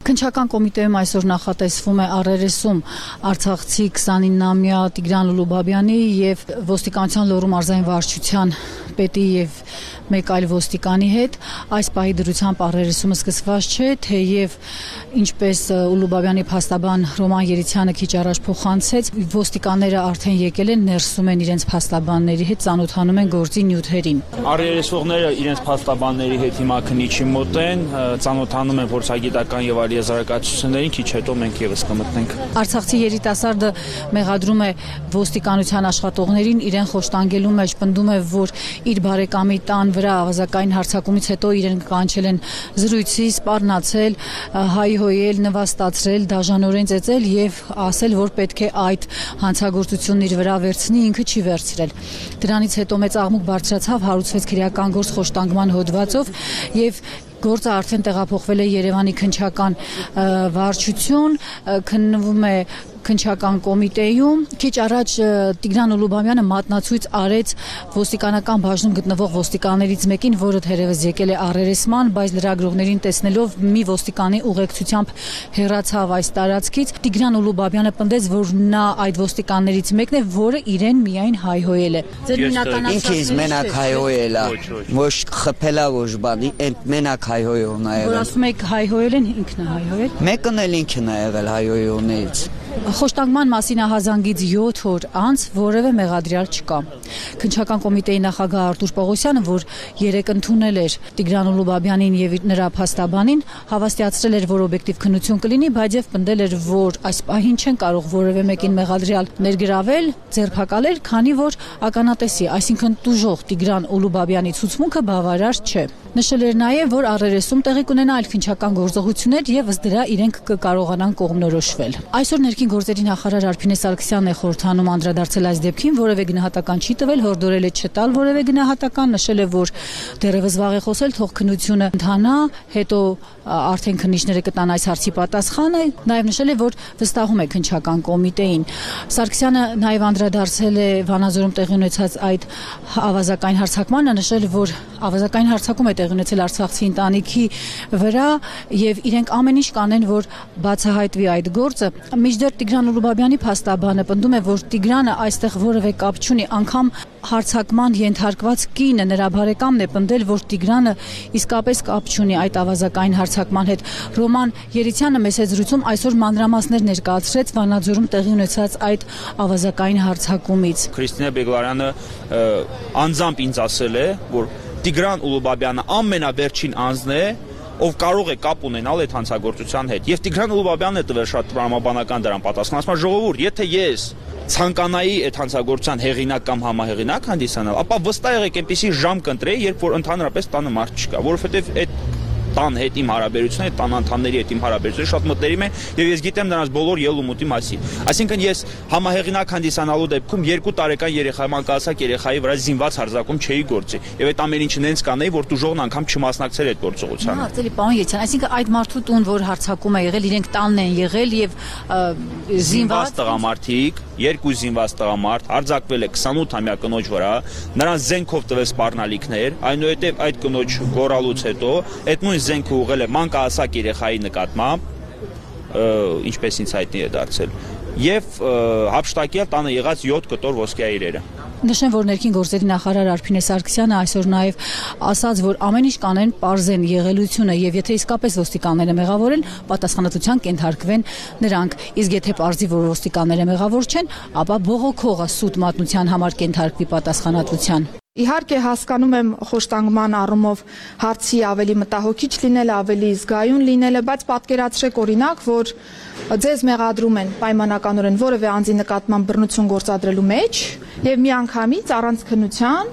Speaker 10: Քննչական կոմիտեում այսօր նախատեսվում է առերեսում արցախցի 29-ամյա Տիգրան Ուլուբաբյանի եւ ոստիկանության Լոռու մարզային վարչության պետի եւ մեկ այլ ոստիկանի հետ։ Այս պահի դրությամբ առերեսումը սկսված չէ, թեև ինչպես Ուլուբաբյանի փաստաբան Ռոման Երիցյանը քիչ առաջ փոխանցեց, ոստիկանները արդեն եկել են, ներսում են իրենց փաստաբանների հետ, ծանոթանում են գործի նյութերին։
Speaker 16: Առերեսվողները իրենց փաստաբանների հետ հիմա քննիչի մոտ են, ծանոթանում են փորձագիտական եւ այլ եզրակացություններին, քիչ հետո մենք եւս կմտնենք։
Speaker 10: Արցախցի երիտասարդը մեղադրում է ոստիկանության աշխատողներին իրեն խոշտանգելու մեջ, պնդում է, որ իր բարեկամի տան վրա ավազակային հարձակումից հետո իրեն կանչել են զրույցի, սպառնացել, հայհոյել, նվաստացրել, դաժանորեն ծեծել եւ ասել, որ պետք է այդ հանցագործությունն իր վրա վերցնի, ինքը չի վերցրել։ Դրանից հետո մեծ աղմուկ բարձրացավ, հարուցվեց քրեական գործ խոշտանգման հոդվածով եւ գործը արդեն տեղափոխվել է Երևանի քննչական վարչություն, քննվում է քննչական կոմիտեում։ Քիչ առաջ Տիգրան Ուլուբաբյանը մատնացույց արեց ոստիկանական բաժնում գտնվող ոստիկաններից մեկին, որը թերևս եկել է առերեսման, բայց լրագրողներին տեսնելով մի ոստիկանի ուղեկցությամբ հեռացավ այս տարածքից։ Տիգրան Ուլուբաբյանը պնդեց, որ նա այդ ոստիկաններից մեկն է, որը իրեն միայն հայհոյել է։
Speaker 17: Ձեր հիմնական ինքից մենակ հայհոյել է, ոչ խփելա ոչ բանի, այդ մենակ հայհոյողն է եղել։
Speaker 10: Որ ասում եք հայհոյել են, ինքն է հայհոյել։
Speaker 17: Մեկն էլ ինքն է եղել հայհոյողներից։
Speaker 10: Խոշտանգման մասին ահազանգից 7 օր անց որևէ մեղադրյալ չկա։ Քննչական կոմիտեի նախագահ Արտուր Պողոսյանը, որ երեկ ընդունել էր Տիգրան Ուլուբաբյանին եւ նրա փաստաբանին, հավաստիացրել էր, որ օբյեկտիվ քննություն կլինի, բայց եւ պնդել էր, որ այս պահին չեն կարող որևէ մեկին մեղադրյալ ներգրավել, ձերբակալել, քանի որ ականատեսի, այսինքն տուժող Տիգրան Ուլուբաբյանի ցուցմունքը բավարար չէ։ Նշել էր նաև, որ առերեսում տեղի կունենա այլ քննչական գործողություններ եւ ըստ դրա իրենք կկարողանան կողմնորոշվել։ Այսօր Ներքին գործերի նախարար Արփինե Սարգսյանն է խորհրդանում անդրադարձել այս դեպքին, որևէ գնահատական չի տվել, հորդորել է չտալ որևէ գնահատական, նշել է, որ դեռևս վաղ է խոսել, թող քննությունը ընթանա, հետո արդեն քննիչները կտան այս հարցի պատասխանը, նաև նշել է, որ վստահում է քննչական կոմիտեին։ Սարգսյանը նաև անդրադարձել է Վանաձորում տեղի ունեցած այդ ավազակային հարձակմանը, նշել, որ ավազակային հարձակում է տեղի ունեցել արցախցի ընտանիքի վրա եւ իրենք ամեն ինչ կանեն, որ բացահայտվի այդ գործը։ Մինչդեռ Տիգրան Ուլուբաբյանի փաստաբանը պնդում է, որ Տիգրանը այստեղ որևէ կապ չունի, անգամ հարձակման ենթարկված կինը նրա բարեկամն է պնդել, որ Տիգրանը իսկապես կապ չունի այդ ավազակային հարձակման հետ։ Ռոման Երիցյանը մեծ զրույցում այսօր մանրամասներ ներկայացրեց Վանաձորում տեղի ունեցած այդ ավազակային հարձակումից։
Speaker 16: Քրիստինե Բեգլարյանը անձամբ ինձ ասել է, որ Տիգրան Ուլուբաբյանը ամենավերջին անձն է, ով կարող է կապ ունենալ այդ հանցագործության հետ։ Եվ Տիգրան Ուլուբաբյանն է տվել շատ տրամաբանական դրան պատասխան, ասում է ժողովուրդ, եթե ես ցանկանայի այդ հանցագործության հեղինակ կամ համահեղինակ հանդիսանալ, ապա վստահ եղեք այնպեսի ժամ կընտրեի, երբ որ ընդհանրապես տանը մարդ չկա, որովհետև այդ տան հետ իմ հարաբերությունը, տան անդամների հետ իմ հարաբերությունը շատ մտերիմ է եւ ես գիտեմ նրանց բոլոր ելումուտի մասին։ Այսինքն ես համահեղինակ հանդիսանալու դեպքում 2 տարեկան երեխայի մանկահասակ երեխայի վրա զինված հարձակում չէի գործի եւ այդ ամեն ինչը նենց կանեի, որ դուժողն անգամ չմասնակցեր այդ գործողությանը։
Speaker 10: Արտելի պարոն Եթյան, այսինքն այդ մարդու տուն, որ հարձակում է եղել, իրենք տանն են եղել եւ զինված
Speaker 16: տղամարդիկ, 2 զինված տղամարդ արձակվել է 28-ամյա կնոջ վրա, նրանց զենքով տվել սպառնալիքներ, այնուհետև այդ կնոջ գոռալուց հետո այդ նույն զենքը ուղղել է մանկահասակ երեխայի նկատմամբ, ինչպես ինձ հայտնի է դարձել, եւ հափշտակել տանը եղած 7 կտոր ոսկյա իրերը։
Speaker 10: Նշեմ, որ ներքին գործերի նախարար Արփինե Սարգսյանը այսօր նաև ասաց, որ ամեն ինչ կանեն պարզեն եղելությունը եւ եթե իսկապես ոստիկանները մեղավոր են, պատասխանատվության կենթարկվեն նրանք։ Իսկ եթե պարզի, որ ոստիկանները մեղավոր չեն, ապա բողոքողը սուտ մատնության համար կենթարկվի պատասխանատվության։
Speaker 18: Իհարկե հասկանում եմ խոշտանգման առումով հարցի ավելի մտահոգիչ լինելը, ավելի զգայուն լինելը, բայց պատկերացրեք օրինակ, որ ձեզ մեղադրում են պայմանականորեն որևէ անձի նկատմամբ բռնություն գործադրելու մեջ եւ միանգամից առանց քննության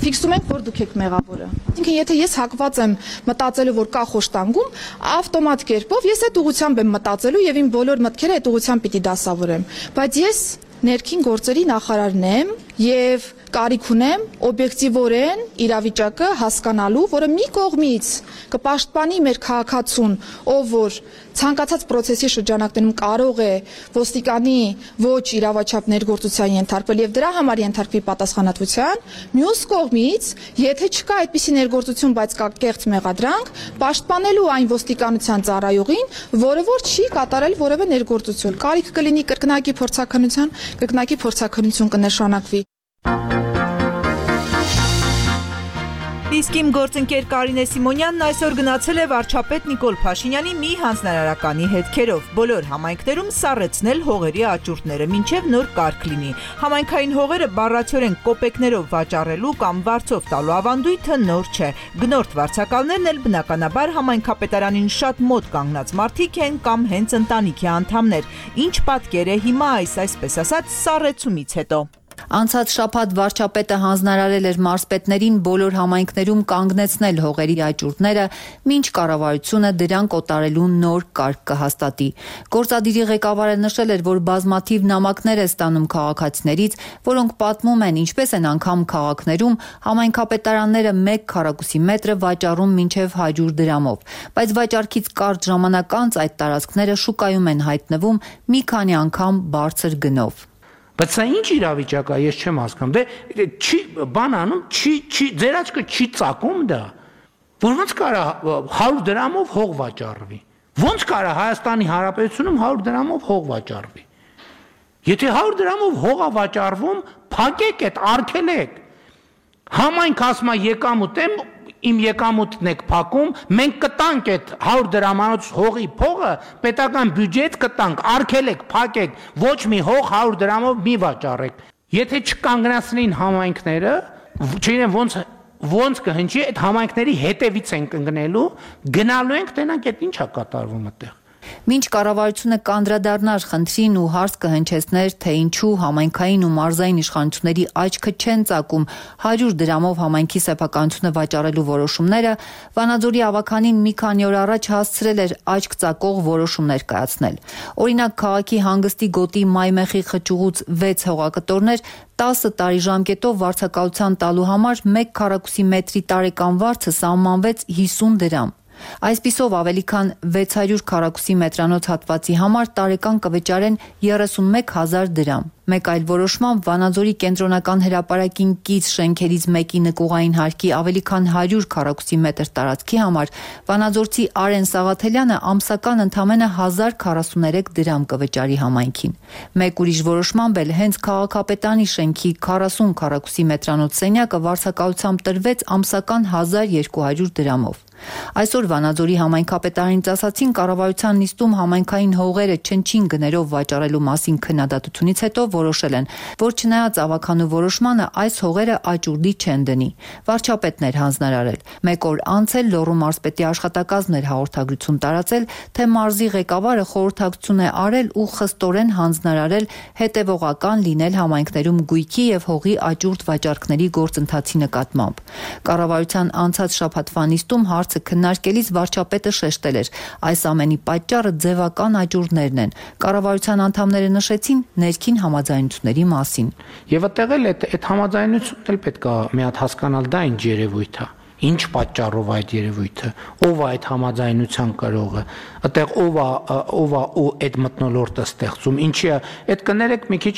Speaker 18: ֆիքսում ենք, որ դուք եք մեղավորը։ Ինքն եթե ես հակված եմ մտածելու, որ կա խոշտանգում, ավտոմատ կերպով ես այդ ուղղությամբ եմ մտածելու եւ իմ բոլոր մտքերը այդ ուղղությամբ պիտի դասավորեմ, բայց ես ներքին գործերի նախարարն եմ եւ կարիք ունեմ օբյեկտիվորեն իրավիճակը հասկանալու, որը մի կողմից կպաշտպանի մեր քաղաքացուն, ով որ ցանկացած process-ի շրջանակներում կարող է ոստիկանի ոչ իրավաչափ ներգործության ենթարկվել եւ դրա համար ենթարկվի պատասխանատվության, մյուս կողմից, եթե չկա այդպիսի ներգործություն, բայց կա կեղծ մեղադրանք, պաշտպանելու այն ոստիկանության ծառայողին, որը որ չի կատարել որևէ ներգործություն։ Կարիք կլինի կրկնակի փորձաքննություն կնշանակվի։
Speaker 1: Իսկ իմ գործընկեր Կարինե Սիմոնյանն այսօր գնացել է վարչապետ Նիկոլ Փաշինյանի մի հանձնարարականի հետքերով։ Բոլոր համայնքներում սառեցնել հողերի աճուրդները, մինչև նոր կարգ լինի։ Համայնքային հողերը բառացիորեն կոպեկներով վաճառելու կամ վարձով տալու ավանդույթը նոր չէ։ Գնորդ վարձակալներն էլ բնականաբար համայնքապետարանին շատ մոտ կանգնած մարդիկ են կամ հենց ընտանիքի անդամներ։ Ինչ պատկեր է հիմա այս այսպես ասած սառեցումից հետո։
Speaker 19: Անցած շաբաթ վարչապետը հանձնարարել էր մարզպետներին բոլոր համայնքներում կանգնեցնել հողերի աճուրդները, մինչ կառավարությունը դրանք օտարելու նոր կարգ կհաստատի։ Գործադիրի ղեկավարը նշել էր, որ բազմաթիվ նամակներ է ստանում քաղաքացիներից, որոնք պատմում են, ինչպես են անգամ քաղաքներում համայնքապետարանները 1 քառակուսի մետրը վաճառում մինչև 100 դրամով, բայց վաճառքից կարճ ժամանակ անց այդ տարածքները շուկայում են հայտնվում մի քանի անգամ բարձր գնով։
Speaker 13: Բայց սա ինչ իրավիճակ է, ես չեմ հասկանում։ Դե չի բան անում, ձեր աչքը չի ծակում դա։ Ոնց կարա 100 դրամով հող վաճառվի։ Ոնց կարա Հայաստանի Հանրապետությունում 100 դրամով հող վաճառվի։ Եթե 100 դրամով հող է վաճառվում, փակեք այդ, արգելեք։ Համայնք ասում է եկամուտ եմ, իմ եկամուտն եք փակում, մենք կտանք այդ 100 դրամանոց հողի փողը, պետական բյուջեից կտանք, արգելեք, փակեք, ոչ մի հող 100 դրամով մի վաճառեք։ Եթե չկանգնացնեին համայնքները, չգիտեմ ոնց կհնչի, այդ համայնքների հետևից ենք ընկնելու, գնալու ենք, տենանք այդ ինչա կատարվում այդտեղ։
Speaker 19: Մինչ կառավարությունը կանդրադառնար խնդրին ու հարց կհնչեցներ, թե ինչու համայնքային ու մարզային իշխանությունների աչքը չեն ծակում 100 դրամով համայնքի սեփականությունը վաճառելու որոշումները, Վանաձորի ավականին մի քանի օր առաջ հասցրել էր աչք ծակող որոշումներ կայացնել։ Օրինակ, քաղաքի հանգստի գոտի Մայմեխի խճուղուց 6 հողակտորներ 10 տարի ժամկետով վարձակալության տալու համար 1 քառակուսի մետրի տարեկան վարձը սահմանվեց 50 դրամ։ Այսպիսով ավելի քան 600 քառակուսի մետրանոց հատվածի համար տարեկան կվճարեն 31,000 դրամ։ Մեկ այլ որոշմամբ Վանաձորի կենտրոնական հրապարակին կից շենքերից մեկի նկուղային հարկի ավելի քան 100 քառակուսի մետր տարածքի համար վանաձորցի Արեն Սաղաթելյանը ամսական ընդամենը 1043 դրամ կվճարի համայնքին։ Մեկ ուրիշ որոշմամբ էլ հենց քաղաքապետանի շենքի 40 քառակուսի մետրանոց սենյակը վարձակալությամբ տրվեց ամսական 1200 դրամով։ Այսօր Վանաձորի համայնքապետարանից ասացին կառավարության նիստում համայնքային հողերը չնչին գներով վաճառելու մասին քննադատությունից հետո որոշել են, որ չնայած ավականու որոշմանը այս հողերը աճուրդի չեն դնի։ Վարչապետն էր հանձնարարել։ Մեկ օր անց էլ Լոռու մարզպետի աշխատակազմն էր հաղորդագրություն տարածել, թե մարզի ղեկավարը խորհրդակցություն է արել ու խստորեն հանձնարարել հետևողական լինել համայնքներում գույքի եւ հողի աճուրդ վաճառքների գործընթացի նկատմամբ։ Կառավարության անցած շաբաթվա նիստում հարցը քննարկելիս վարչապետը շեշտել էր, այս ամենի պատճառը ձևական աճուրդներն են։ Կառավարության անդամները նշեցին ներքին համաձայնությունների մասին։
Speaker 13: Եվ այդտեղ էլ այդ համաձայնությունն էլ պետք է մի հատ հասկանալ, դա ինչ երևույթ է։ Ինչ պատճառով այդ երևույթը, ով է այդ համաձայնության կրողը, այդտեղ ով է ու այդ մթնոլորտը ստեղծում, ինչի է, այդ կներեք մի քիչ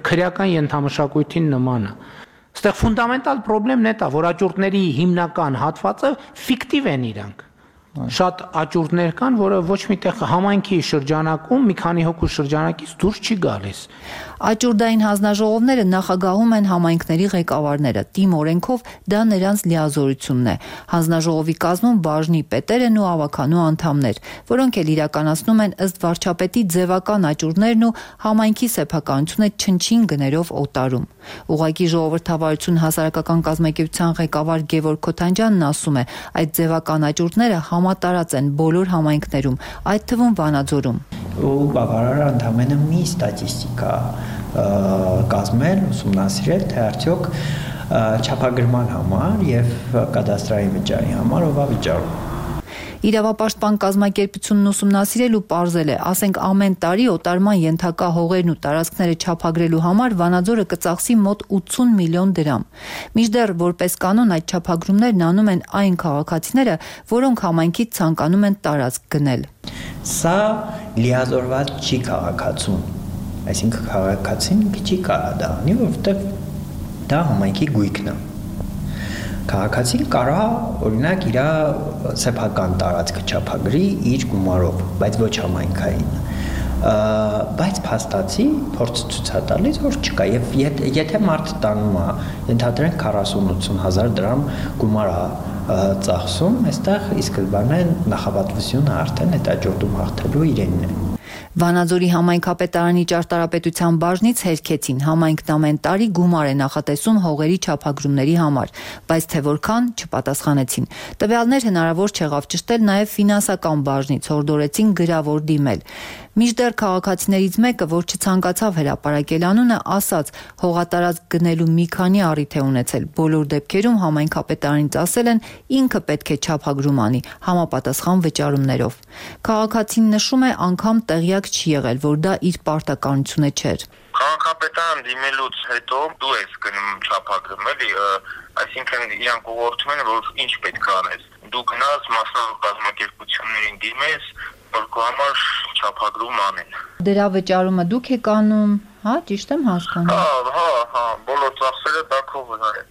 Speaker 13: քրեական ենթամշակույթին նման է։ Այստեղ ֆունդամենտալ խնդիրն է դա, որ աճուրդների հիմնական հատվածը ֆիկտիվ են իրանք։ Շատ աճուրդներ կան, որը ոչ միտեղ համայնքի շրջանակում մի քանի հոգու շրջանակից դուրս չի գալիս։
Speaker 19: Աճուրդային հանձնաժողովները նախագահում են համայնքների ղեկավարները։ Թիմ օրենքով դա նրանց լիազորությունն է։ Հանձնաժողովի կազմում բաժնի պետերն ու ավականու անդամներ, որոնք էլ իրականացնում են ըստ վարչապետի ձևական աճուրդներն ու համայնքի սեփականությունը չնչին գներով օտարում։ Ուղղակի ժողովրդավարություն հասարակական կազմակերպության ղեկավար Գևորգ Քոթանջյանն ասում է, այդ ձևական աճուրդները համատարած են բոլոր համայնքներում, այդ թվում Վանաձորում։
Speaker 20: Ու բավարար ընդամենը մի ստատիստիկա կազմել, ուսումնասիրել, թե արդյոք չափագրման համար եւ կադաստրային վճարի համար ով է վճարում։
Speaker 19: Իրավապաշտպան կազմակերպությունն ուսումնասիրել ու պարզել է, ասենք ամեն տարի օտարման ենթակա հողերն ու տարածքները չափագրելու համար Վանաձորը կծախսի մոտ 80 միլիոն դրամ։ Մինչդեռ որպես կանոն այդ չափագրումներն անում են այն քաղաքացիները, որոնք համայնքից ցանկանում են տարածք գնել։
Speaker 20: Սա լիազորված չի քաղաքացուն, այսինքն քաղաքացին չի կարող դա անի, որովհետև դա համայնքի գույքն է։ Քաղաքացին կարող օրինակ իր սեփական տարածքը չափագրի իր գումարով, բայց ոչ համայնքային։ Բայց փաստացի փորձ ցույց է տալիս, որ չկա եւ եթե մարդը տանում է, ընդհանրեն 40-80 հազար դրամ գումար է ծախսում, այստեղ ի սկզբանե նախապատվությունը արդեն այդ աճուրդում հաղթելու իրենն է։
Speaker 19: Վանաձորի համայնքապետարանի ճարտարապետության բաժնից հերքեցին համայնքն ամեն տարի գումար է նախատեսում հողերի չափագրումների համար, բայց թե որքան չպատասխանեցին։ Տվյալներ հնարավոր չեղավ ճշտել նաև ֆինանսական բաժնից, հորդորեցին գրավոր դիմել։ Մինչդեռ քաղաքացիներից մեկը, որ չցանկացավ հրապարակել անունը, ասաց, հողատարածք գնելու մի քանի առիթ է ունեցել։ Բոլոր դեպքերում համայնքապետարանից ասել են, ինքը պետք է չափագրում անի, համապատասխան վճարումներով։ Քաղաքացին նշում է, անգամ տեղյակ չի եղել, որ դա իր պարտականությունը չէր։
Speaker 21: Քաղաքապետարան դիմելուց հետո դու ես գնում չափագրում, էլի, այսինքն իրանք ուղղորդում են, որ ինչ պետք է անես։ Դու գնաս մասնավոր կազմակերպություններին դիմես, որ քո համար չափագրում անեն։
Speaker 19: Դրա վճարումը դուք եք անում, հա, ճիշտ եմ հասկանում։
Speaker 21: Հա, բոլոր ծախսերը դա քո վրա է։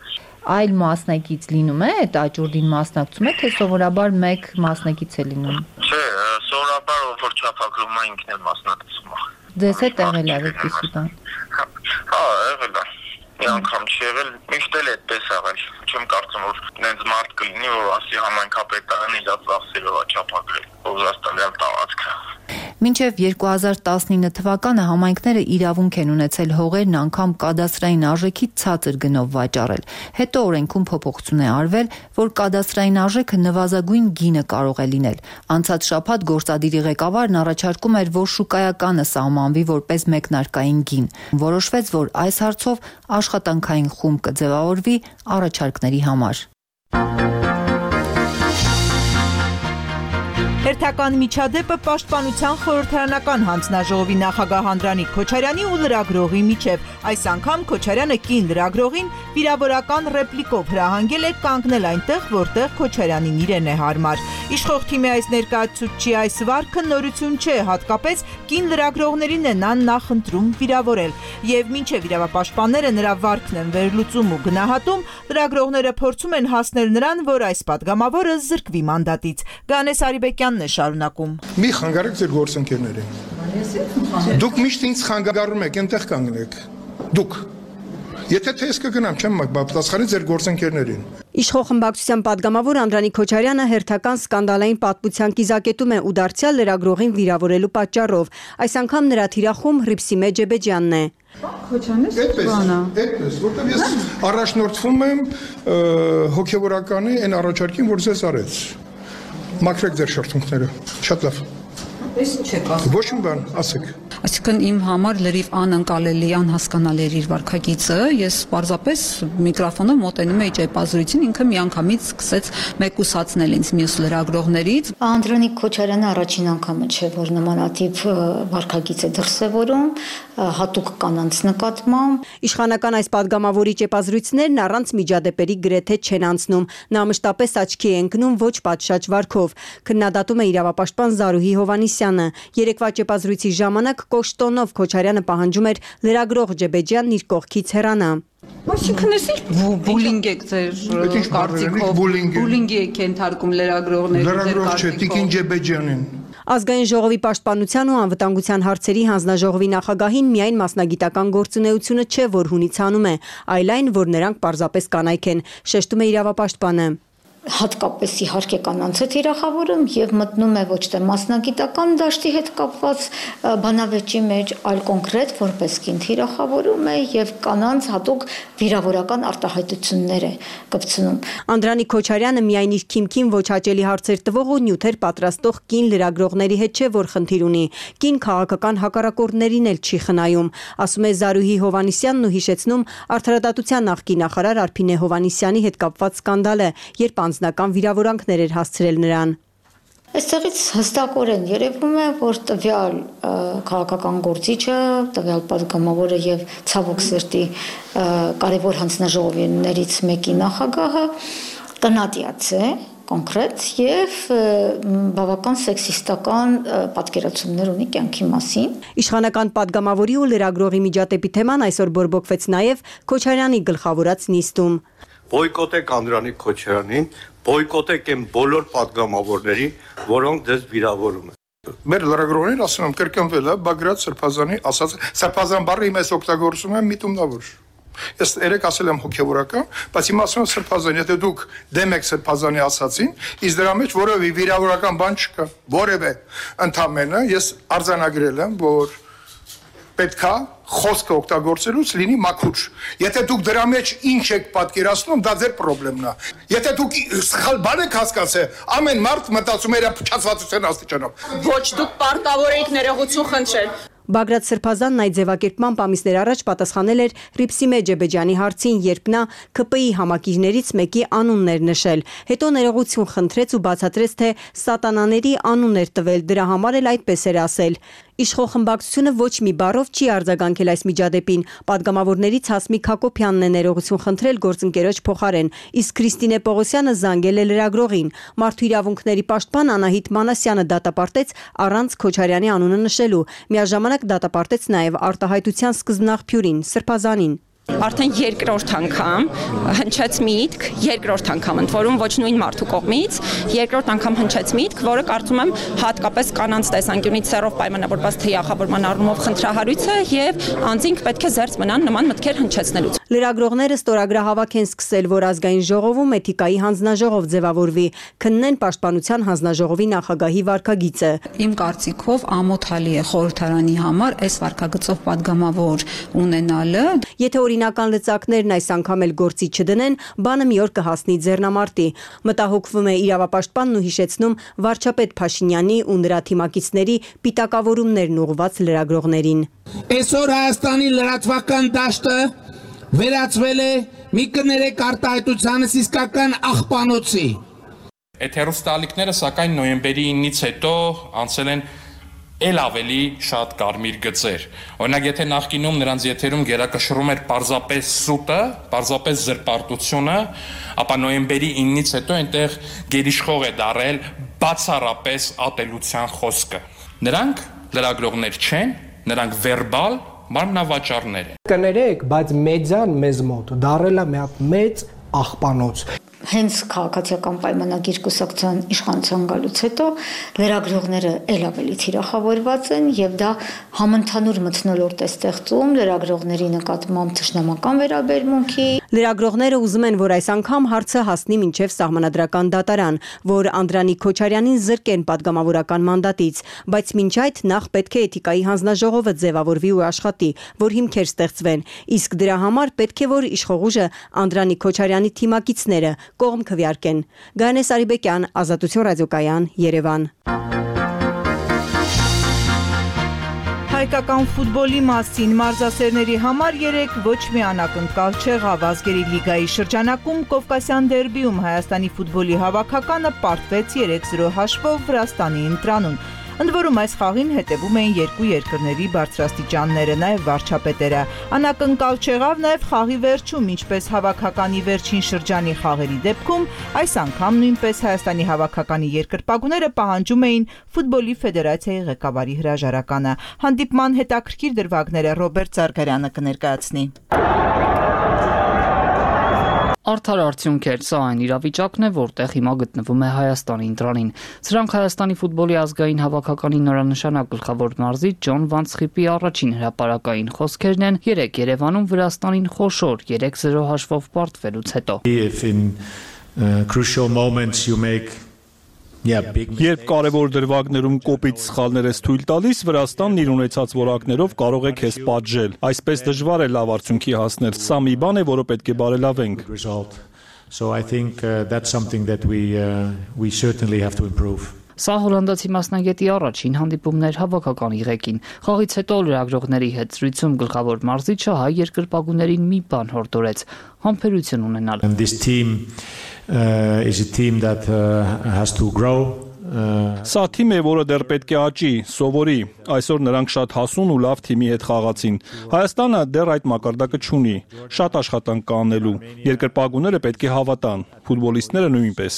Speaker 19: Այլ մասնակից լինում է, այդ աճուրդին մասնակցում է, թե սովորաբար մեկ մասնակից է լինում։
Speaker 21: Չէ, սովորաբար որ չափագրում է ինքն էլ մասնակցում է։
Speaker 19: Ձեզ հետ եղել է այդպիսի բան։
Speaker 21: Հա, եղել է։ Մի անգամ չի եղել, միշտ էլ այդպես եղել։ Չեմ կարծում, որ նենց մարդ կլինի, որ ասի համայնքապետարանը իր ծախսերով է չափագրել, որ զաստալյալ տարածքը։
Speaker 19: Մինչև 2019 թվականը համայնքները իրավունք են ունեցել հողերն անգամ կադաստրային արժեքի ցածր գնով վաճառել։ Հետո օրենքում փոփոխություն է արվել, որ կադաստրային արժեքը նվազագույն գինը կարող է լինել։ Անցած շաբաթ գործադիրի ղեկավարն առաջարկում էր, որ շուկայականը սահմանվի որպես մեկնարկային գին։ Որոշվեց, որ այս հարցով աշխատանքային խումբ կձևավորվի առաջարկների համար։
Speaker 1: Հերթական միջադեպը պաշտպանության խորհրդարանական հանձնաժողովի նախագահ Անդրանիկ Քոչարյանի ու լրագրողի միջև։ Այս անգամ Քոչարյանը կին լրագրողին վիրավորական ռեպլիկով հրահանգել է կանգնել այնտեղ, որտեղ Քոչարյանին իրեն է հարմար։ Իշխող թիմի այս ներկայացուցչի այս վարքը նորություն չէ, հատկապես կին լրագրողներին է նա նախընտրում վիրավորել։ Եվ մինչև իրավապաշտպանները նրա վարքն են վերլուծում ու գնահատում, լրագրողները փորձում են հասնել նրան, որ այս падգամավորը զրկվի մանդատից։ Գանես Արիբեկյանն է շարունակում։
Speaker 2: Մի խանգարեք ձեր գործընկերներին։ Դուք միշտ ինձ խանգարում եք, այնտեղ կանգնեք։ Դուք Եթե թե ես կգնամ, չեմ պատասխանի ձեր գործընկերներին։
Speaker 22: Իշխող խմբակցության падգամավոր Անդրանիկ Քոչարյանը հերթական սկանդալային պատմության կիզակետում է ու դարձյալ լրագրողին վիրավորելու պատճառով։ Այս անգամ նրա թիրախում Հռիփսիմե Ջեբեջյանն է։
Speaker 2: Այդպես, որտեղ ես առաջնորդվում եմ հոգևորականի այն առաջարկին, որ ձեզ արեց։ Մաքրեք ձեր շրթունքները։ Շատ լավ։
Speaker 23: Ինչ եք ասում։
Speaker 2: Ոչ մի բան, ասեք։
Speaker 23: Այսինքն իմ համար լրիվ անընկալելի, անհասկանալի էր իր վարքագիծը, ես պարզապես միկրոֆոնով մոտենում էի ճեպազրույցին, ինքը միանգամից սկսեց մեկուսացնել ինձ մյուս լրագրողներից։
Speaker 24: Անդրանիկ Քոչարյանը առաջին անգամը չէ, որ նմանատիպ վարքագիծ է դրսևորում, հատուկ կանանց նկատմամբ։
Speaker 22: Իշխանական այս падգամավորի ճեպազրույցներն առանց միջադեպերի գրեթե չեն անցնում։ Նա մշտապես աչքի է ընկնում ոչ պատշաճ վարքով։ Քննադատում է իրավապաշտպան Զարուհի Հովհաննիսյանը։ Երեկվա ճեպազրույցի ժամանակ Կոշտոնով Քոչարյանը պահանջում էր լրագրող Ջեբեջյանն իր կողքից հեռանա։
Speaker 23: Այսինքն էս բուլինգ եք ձեր կարծիքով, բուլինգի եք ենթարկում լրագրողներին։
Speaker 2: Լրագրող չէ, Տիկին Ջեբեջյանին։
Speaker 22: Ազգային ժողովի պաշտպանության ու անվտանգության հարցերի հանձնաժողովի նախագահին միայն մասնագիտական գործունեությունը չէ, որ հունիցանում է, այլ այն, որ նրանք պարզապես կանայք են, շեշտում է իրավապաշտպանը։
Speaker 24: Հատկապես իհարկե կանանց է թիրախավորում եւ մտնում է ոչ թե մասնագիտական դաշտի հետ կապված բանավեճի մեջ, այլ կոնկրետ որպես կին թիրախավորում է եւ կանանց հատուկ վիրավորական արտահայտություններ է կպցնում։
Speaker 22: Անդրանիկ Քոչարյանը միայն իր քիմքին ոչ հաճելի հարցեր տվող ու նյութեր պատրաստող կին լրագրողների հետ չէ, որ խնդիր ունի, կին քաղաքական հակառակորդներին էլ չի խնայում, ասում է Զարուհի Հովհաննիսյանն ու հիշեցնում արդարադատության նախկին նախարար Արփինե Հովհաննիսյանի հետ կապված սկանդալը, երբ անձնական վիրավորանքներ էր հասցրել նրան։
Speaker 24: Այստեղից հստակորեն երևում է, որ տվյալ քաղաքական գործիչը, տվյալ падգամավորը եւ ցավոք սրտի կարևոր հանձնաժողովներից մեկի նախագահը տնատյաց է կոնկրետ եւ բավական սեքսիստական պատկերացումներ ունի կյանքի մասին։
Speaker 22: Իշխանական падգամավորի ու լրագրողի միջադեպի թեման այսօր բորբոքվեց նաեւ Քոչարյանի գլխավորած նիստում։
Speaker 15: Բոյկոտեք Անդրանիկ Քոչարյանին, բոյկոտեք այն բոլոր падգամավորներին, որոնք դες վիրավորում են։
Speaker 2: Մեր լրագրողներին ասում եմ կրկնվել է Բագրատ Սրբազանի ասած Սրբազան բառը իմ ես օգտագործում եմ միտումնավոր։ Ես երեք ասել եմ հոգևորական, բայց հիմա ասում եմ Սրբազան, եթե դուք դեմ եք Սրբազանի ասացին, իսկ դրա մեջ որևէ վիրավորական բան չկա, որևէ ընդամենը ես արձանագրել եմ, որ պետքա խոսքը օգտագործելուց լինի մաքուր։ Եթե դուք դրա մեջ ինչ եք պատկերացնում, դա ձեր խնդիրն է։ Եթե դուք սխալ բան եք հասկացել, ամեն մարդ մտածում է իր փչացվածության աստիճանով։
Speaker 23: Ոչ, դուք պարտավոր եք ներողություն խնդրել։
Speaker 22: Բագրատ Սրբազանն այդ ձևակերպման ամիսներ առաջ պատասխանել էր Հռիփսիմե Ջեբեջյանի հարցին, երբ նա ԿՊ-ի համակիրներից մեկի անունն էր նշել։ Հետո ներողություն խնդրեց ու բացատրեց, թե սատանաների անուն էր տվել, դրա համար էլ այդպես էր ասել։ Իշխող խմբակցությունը ոչ մի բառով չի արձագանքել այս միջադեպին։ Պատգամավորներից Հասմիկ Հակոբյանն է ներողություն խնդրել գործընկերոջ փոխարեն, իսկ Քրիստինե Պողոսյանը զանգել է լրագրողին։ Մարդու իրավունքների պաշտպան Անահիտ Մանասյանը դատապարտեց առանց Քոչարյանի անունը նշելու։ Միաժամանակ դատապարտեց նաև արտահայտության սկզբնաղբյուրին Սրբազանին։
Speaker 3: Արդեն երկրորդ անգամ հնչեց միտք, երկրորդ անգամ ընդ որում ոչ նույն մարդու կողմից, երկրորդ անգամ հնչեց միտք, որը կարծում եմ հատկապես կանանց տեսանկյունից սեռով պայմանավորված թիախավորման առումով խնդրահարույց է եւ անձինք պետք է զերծ մնան նման մտքեր հնչեցնելուց։
Speaker 22: Լրագրողները ստորագրահավաք են սկսել, որ ազգային ժողովում էթիկայի հանձնաժողով ձևավորվի, քննեն պաշտպանության հանձնաժողովի նախագահի վարքագիծը։
Speaker 23: Իմ կարծիքով ամոթալի է խորհրդարանի համար այս վարքագծով падգամավոր ունենալը։
Speaker 22: Եթե օրինական լծակներն այս անգամ էլ գործի չդնեն, բանը մի օր կհասնի ձեռնամարտի։ Մտահոգվում է իրավապաշտպանն ու հիշեցնում վարչապետ Փաշինյանի ու նրա թիմակիցների պիտակավորումներն ուղղված լրագրողներին։
Speaker 13: Այսօր Հայաստանի լրատվական դաշտը վերածվել է մի կներեք արտահայտությանս իսկական աղբանոցի։
Speaker 4: Այդ հեռուստաալիքները սակայն նոյեմբերի 9-ից հետո անցել են էլ ավելի շատ կարմիր գծեր։ Օրինակ, եթե նախկինում նրանց եթերում գերակշռում էր պարզապես սուտը, պարզապես զրպարտությունը, ապա նոյեմբերի 9-ից հետո այնտեղ գերիշխող է դարել բացառապես ատելության խոսքը։ Նրանք լրագրողներ չեն, նրանք վերբալ մարմնավաճառներ են։
Speaker 13: Կներեք, բայց մեդիան մեզ մոտ դարել է մի հատ մեծ աղբանոց։
Speaker 24: Հենց քաղաքացիական պայմանագիր կուսակցության իշխանության գալուց հետո լրագրողները ել ավելի թիրախավորված են եւ դա համընդհանուր մթնոլորտ է ստեղծում լրագրողների նկատմամբ թշնամական վերաբերմունքի։
Speaker 22: Լրագրողները ուզում են, որ այս անգամ հարցը հասնի մինչև սահմանադրական դատարան, որ Անդրանիկ Քոչարյանին զրկեն падգամավորական մանդատից, բայց մինչ այդ նախ պետք է էթիկայի հանձնաժողովը ձևավորվի ու աշխատի, որ հիմքեր ստեղծվեն, իսկ դրա համար պետք է որ իշխող ուժը Անդրանիկ Քոչարյանի թիմակիցները կողմ քվեարկեն։ Գայանե Սարիբեկյան, Ազատություն ռադիոկայան, Երևան։
Speaker 1: Հայկական ֆուտբոլի մասին մարզասերների համար երեկ ոչ մի անակնկալ չեղավ ազգերի լիգայի շրջանակում Կովկասյան դերբիում Հայաստանի ֆուտբոլի հավաքականը պարտվեց 3-0 հաշվով Վրաստանի ընտրանում։ Ընդ որում այս խաղին հետևում էին երկու երկրների բարձրաստիճանները, նաև վարչապետերը։ Անակնկալ չեղավ նաև խաղի վերջում, ինչպես հավաքականի վերջին շրջանի խաղերի դեպքում, այս անգամ նույնպես Հայաստանի հավաքականի երկրպագուները պահանջում էին ֆուտբոլի ֆեդերացիայի ղեկավարի հրաժարականը։ Հանդիպման հետաքրքիր դրվագները Ռոբերտ Զարգարյանը կներկայացնի։
Speaker 5: Արդար արդյունք էր, սա այն իրավիճակն է, որտեղ հիմա գտնվում է Հայաստանի ընտրանին։ Սրանք Հայաստանի ֆուտբոլի ազգային հավաքականի նորանշանակ գլխավոր մարզիչ Ջոն Վանցխիպի առաջին հրապարակային խոսքերն են երեկ Երևանում Վրաստանին խոշոր 3-0 հաշվով պարտվելուց հետո։
Speaker 8: Երբ կարևոր դրվագներում կոպիտ սխալներ ես թույլ տալիս, Վրաստանն իր ունեցած որակներով կարող է քեզ պատժել։ Այսպես դժվար է լավ արդյունքի հասնել։ Սա մի բան է, որը պետք է բարելավենք։
Speaker 5: Սա հոլանդացի մասնագետի առաջին հանդիպումն էր հավաքականի ղեկին։ Խաղից հետո լրագրողների հետ զրույցում գլխավոր մարզիչը հայ երկրպագուներին մի բան հորդորեց՝ համբերություն ունենալ։
Speaker 8: Սա թիմ է, որը դեռ պետք է աճի, սովորի։ Այսօր նրանք շատ հասուն ու լավ թիմի հետ խաղացին։ Հայաստանը դեռ այդ մակարդակը չունի։ Շատ աշխատանք կա անելու։ Երկրպագուները պետք է հավատան, ֆուտբոլիստները նույնպես։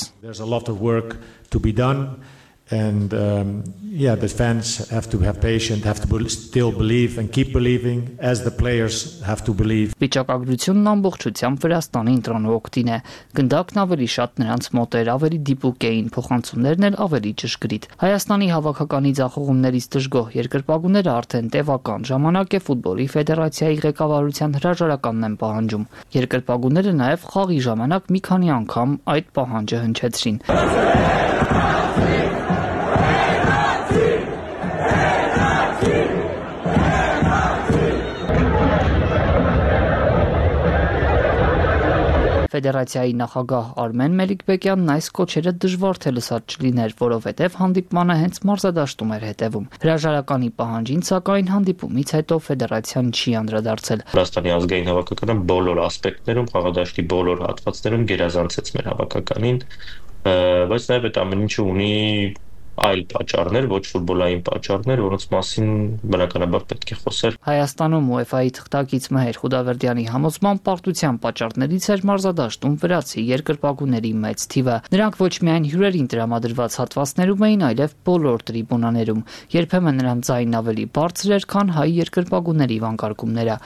Speaker 25: And the fans have to have patience, have to still believe and keep believing, as the players have to believe.
Speaker 5: Վիճակագրությունն ամբողջությամբ Վրաստանի ընտրանու օգտին է։ Գնդակն ավելի շատ նրանց մոտ էր, ավելի դիպուկ էին, փոխանցումներն էլ ավելի ճշգրիտ։ Հայաստանի հավաքականի ձախողումներից դժգոհ երկրպագուները արդեն տևական ժամանակ է ֆուտբոլի ֆեդերացիայի ղեկավարության հրաժարականն են պահանջում։ Երկրպագուները նաև խաղի ժամանակ մի քանի անգամ այդ պահանջը հնչեցրին։ Ֆեդերացիայի նախագահ Արմեն Մելիքբեկյանն այս կոչերը դժվար թե լսած չլիներ, որովհետև հանդիպմանը հենց մարզադաշտում էր հետևում։ Հրաժարականի պահանջին, սակայն հանդիպումից հետո ֆեդերացիան չի անդրադարձել։
Speaker 26: Վրաստանի ազգային հավաքականը բոլոր ասպեկտներում, խաղադաշտի բոլոր հատվածներում գերազանցեց մեր հավաքականին, բայց նաև այդ ամեն ինչը ունի այլ պատճառներ, ոչ ֆուտբոլային պատճառներ, որոնց մասին բնականաբար պետք է խոսել։
Speaker 5: Հայաստանում UEFA-ի թղթակից Մհեր Խուդավերդյանի համոզմամբ պարտության պատճառներից էր մարզադաշտում վրացի երկրպագուների մեծ թիվը։ Նրանք ոչ միայն հյուրերին տրամադրված հատվածներում էին, այլև բոլոր տրիբունաներում։ Երբեմն նրանց ձայնն ավելի բարձր էր, քան հայ երկրպագուների վանկարկումները։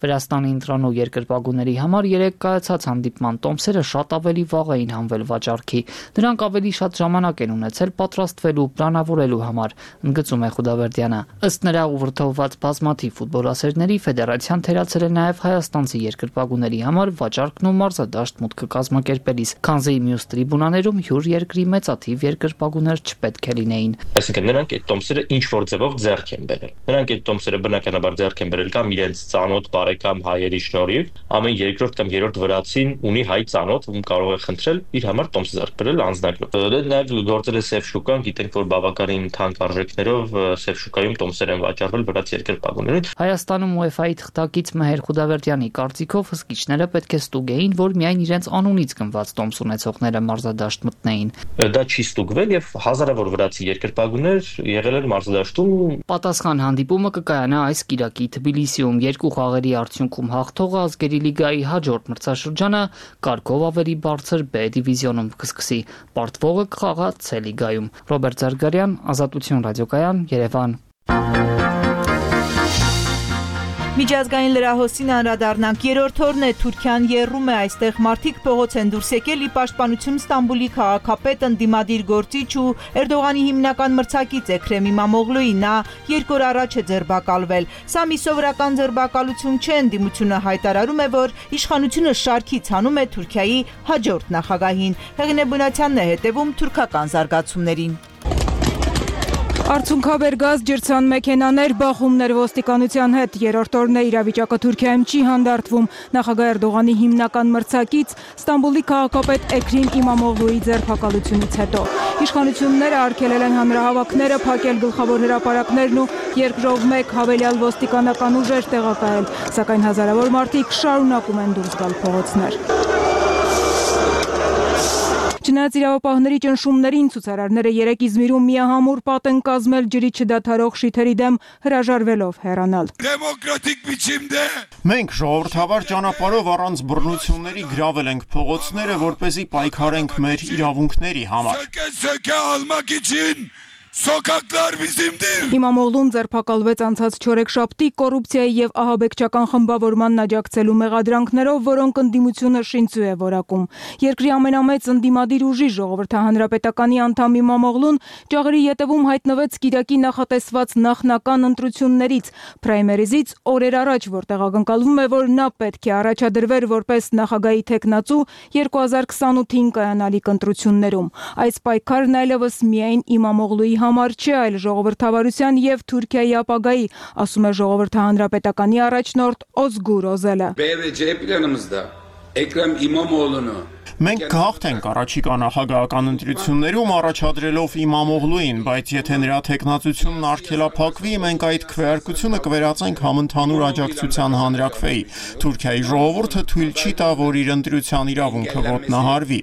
Speaker 5: Վրաստանի ընտրանու երկրպագուների համար երեք կայացած հանդիպման տոմսերը շատ ավելի վաղ էին հանվել վաճառքի։ Նրանք ավելի շատ ժամանակ են ունեցել պատրաստվելու, պլանավորելու համար, ընդգծում է Խուդավերդյանը։ Ըստ նրա ուղղորդված բազմաթիվ ֆուտբոլասերների ֆեդերացիան թերացել է նաև հայաստանցի երկրպագուների համար վաճառքն ու մարզադաշտ մուտքը կազմակերպելիս, քանզի մյուս տրիբունաներում հյուր երկրի մեծաթիվ երկրպագուներ չպետք է լինեին։
Speaker 26: Այսինքն նրանք այդ տոմսերը ինչ որ ձևով ձեռք են բերել։ Նրանք այդ տոմսերը բնականաբար ձեռք են բերել կամ իրենց ծանոթ բարեկամ հայերի շնորհիվ, ամեն երկրորդ կամ երրորդ վրացին ունի հայ ծանոթ, ում կարող է խնդրել իր համար տոմս ձեռք բերել անձնագրով։ Նաև գործել է սև շուկան, գիտենք, որ բավականին թանկ արժեքներով սև շուկայում տոմսեր են վաճառվել վրաց երկրպագուներին։
Speaker 5: Հայաստանում UEFA-ի թղթակից Մհեր Խուդավերդյանի կարծիքով հսկիչները պետք է ստուգեին, որ միայն իրենց անունից գնված տոմս ունեցողները մարզադաշտ մտնեին։
Speaker 26: Դա չի ստուգվել եւ հազարավոր վրացի երկրպագուներ եղել են մարզադաշտում։
Speaker 5: Պատասխան հանդիպումը կկայանա այս կիրակի Թբիլիսիում, երկու խաղերի արդյունքում հաղթողը ազգերի լիգայի հաջորդ մրցաշրջանը կարգով ավելի բարձր B դիվիզիոնում կսկսի, պարտվողը կխաղա C լիգայում։ Ռոբերտ Զարգարյան, Ազատություն ռադիոկայան, Երևան։
Speaker 1: Միջազգային լրահոսին անդրադառնանք, երրորդ օրն է Թուրքիան եռում է, այստեղ մարդիկ փողոց են դուրս եկել ի պաշտպանություն Ստամբուլի քաղաքապետ, ընդդիմադիր գործիչ ու Էրդողանի հիմնական մրցակից Էքրեմ Իմամօղլուի, նա 2 օր առաջ է ձերբակալվել։ Սա մի սովորական ձերբակալություն չէ, ընդդիմությունը հայտարարում է, որ իշխանությունը շարքից հանում է Թուրքիայի հաջորդ նախագահին։ Հեղինե Բունացյանն է հետևում թուրքական զարգացումներին։
Speaker 6: Արդյունքաբեր գազ, ջրցան մեքենաներ, բախումներ ոստիկանության հետ, երրորդ օրն է իրավիճակը Թուրքիայում չի հանդարտվում։ Նախագահ Էրդողանի հիմնական մրցակից Ստամբուլի քաղաքապետ Էքրեմ Իմամօղլուի ձերբակալությունից հետո իշխանությունները արգելել են հանրահավաքները, փակել գլխավոր հրապարակներն ու երկրով մեկ հավելյալ ոստիկանական ուժեր տեղակայել, սակայն հազարավոր մարդիկ շարունակում են դուրս գալ փողոցներ։ Չնայած իրավապահների ճնշումներին, ցուցարարները երեկ Իզմիրում միահամուռ պատ են կազմել ջրի չդադարող շիթերի դեմ, հրաժարվելով հեռանալ։
Speaker 7: Դեմոկրատիկ biçimde
Speaker 9: մենք ժողովրդավար ճանապարհով առանց բռնությունների գրավել ենք փողոցները, որպեսզի պայքարենք մեր իրավունքների համար։
Speaker 7: Söke almak için Sokaklar bizimdir։
Speaker 6: Իմամօղլուն ձերբակալվեց անցած չորեքշաբթի կոռուպցիայի եւ ահաբեկչական խմբավորման աջակցելու մեղադրանքներով, որոնք ընդդիմությունը շինծու է որակում։ Երկրի ամենամեծ ընդդիմադիր ուժի ժողովրդահանրապետականի անդամ Իմամօղլուն ճաղերի ետևում հայտնվեց Կիրակի նախատեսված նախնական ընտրություններից, պրայմերիզից օրեր առաջ, որտեղ ակնկալվում է, որ նա պետք է առաջադրվեր որպես նախագահի թեկնածու 2028-ին կայանալիք ընտրություններում։ Այս պայքարն այլևս միայն Իմամօղլուի համար չէ, այլ ժողովրդավարության եւ Թուրքիայի ապագայի, ասում է ժողովրդահանրապետականի առաջնորդ Ozgur Özel'e։
Speaker 7: Էքրեմ Իմամօղլունը
Speaker 9: Մենք կհաղթենք առաջիկա նախագահական ընտրություններում առաջադրելով Իմամօղլուին, բայց եթե նրա թեկնածությունն արգելափակվի, մենք այդ քվեարկությունը կվերածենք համընդհանուր աջակցության հանրաքվեի։ Թուրքիայի ժողովուրդը թույլ չի տա, որ իր ընտրության իրավունքը ոտնահարվի։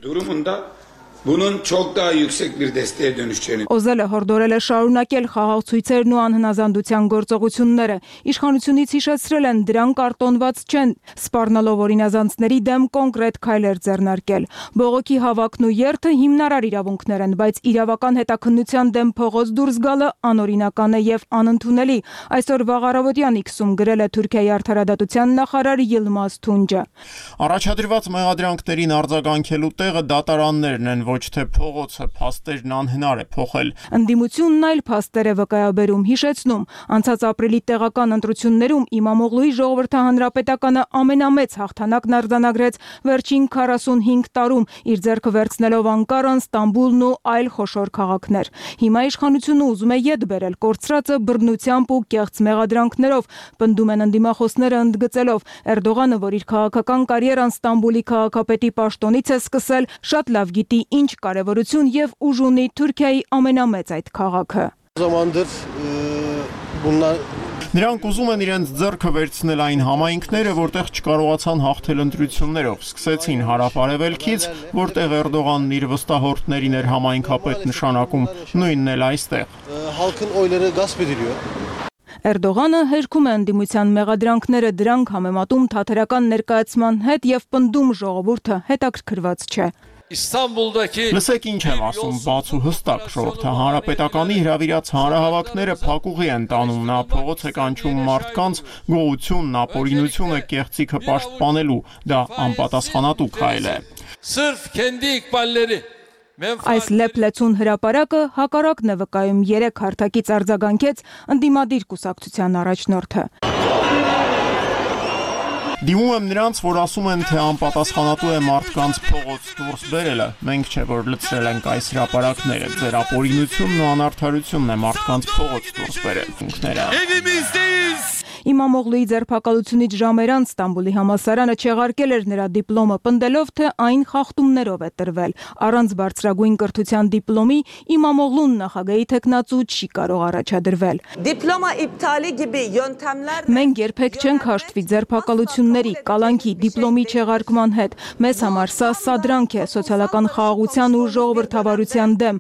Speaker 7: Bunun çok daha yüksek bir desteğe dönüşeceğini
Speaker 6: Özel'e հորդորել է շարունակել խաղաղ ցույցերն ու անհնազանդության գործողությունները։ Իշխանությունից հիշեցրել են դրան կարտոնված չեն, սպառնալով օրինազանցների դեմ կոնկրետ քայլեր ձեռնարկել։ Բողոքի հավաքն ու երթը հիմնարար իրավունքներ են, բայց իրավական հետաքննության դեմ փողոց դուրս գալը անօրինական է եւ անընդունելի։ Այսօր վաղ առավոտյան X-ում գրել է Թուրքիայի արդարադատության նախարար Yilmaz Tunca։
Speaker 9: Առաջադրված մեղադրանքներին արձագանքելու տեղը դատարաններն են, ոչ թե փողոցը, փաստերն անհնար է փոխել։
Speaker 6: Ընդդիմությունն այլ փաստեր է վկայաբերում, հիշեցնում, անցած ապրիլի տեղական ընտրություններում Իմամօղլուի ժողովրդահանրապետականը ամենամեծ հաղթանակն արձանագրեց վերջին 45 տարում, իր ձեռքը վերցնելով Անկարան, Ստամբուլն ու այլ խոշոր քաղաքներ։ Հիմա իշխանությունը ուզում է ետ բերել կորցրածը բռնությամբ ու կեղծ մեղադրանքներով, պնդում են ընդդիմախոսները ընդգծելով Էրդողանը, որ իր քաղաքական կարիերան Ստամբուլի քաղաքապետի պաշտոնից է սկսել, շատ լավ գիտի ինչ կարևորություն եւ ուժ ունի Թուրքիայի ամենամեծ այդ քաղաքը։
Speaker 9: Նրանք ուզում են իրենց ձեռքը վերցնել այն համայնքները, որտեղ չկարողացան հաղթել ընտրություններով, սկսեցին հարավ-արևելքից, որտեղ Էրդողանն իր վստահորդներին էր համայնքապետ նշանակում, նույնն էլ այստեղ։
Speaker 6: Էրդողանը հերքում է ընդդիմության մեղադրանքները, դրանք համեմատում թաթերական ներկայացման հետ եւ պնդում ժողովուրդը հետաքրքրված չէ։
Speaker 9: Լսեք ինչ եմ ասում, բաց ու հստակ ժողովրդը հանրապետականի հրավիրած հանրահավաքները փակուղի են տանում, նա փողոց է կանչում մարդկանց գոհությունն, ապօրինությունը, կեղծիքը պաշտպանելու, դա անպատասխանատու քայլ է։
Speaker 6: Այս լեփլեցուն հրապարակը հակառակն է վկայում 3 հարթակից արձագանքեց ընդդիմադիր կուսակցության առաջնորդը։
Speaker 9: Դիմում եմ նրանց, որ ասում են, թե անպատասխանատու է մարդկանց փողոց դուրս բերելը։ Մենք չէ, որ լցրել ենք այս հրապարակները, ձեր ապօրինությունն ու անարդարությունն է մարդկանց փողոց դուրս բերել։
Speaker 6: Իմամօղլուի ձերբակալությունից ժամեր անց Ստամբուլի համալսարանը չեղարկել էր նրա դիպլոմը, պնդելով, թե այն խախտումներով է տրվել։ Առանց բարձրագույն կրթության դիպլոմի Իմամօղլուն նախագահի թեկնածու չի կարող առաջադրվել։ Մենք երբեք չենք հաշտվի ձերբակալությունների, կալանքի, դիպլոմի չեղարկման հետ։ Մեզ համար սա սադրանք է սոցիալական խաղաղության ու ժողովրդավարության դեմ։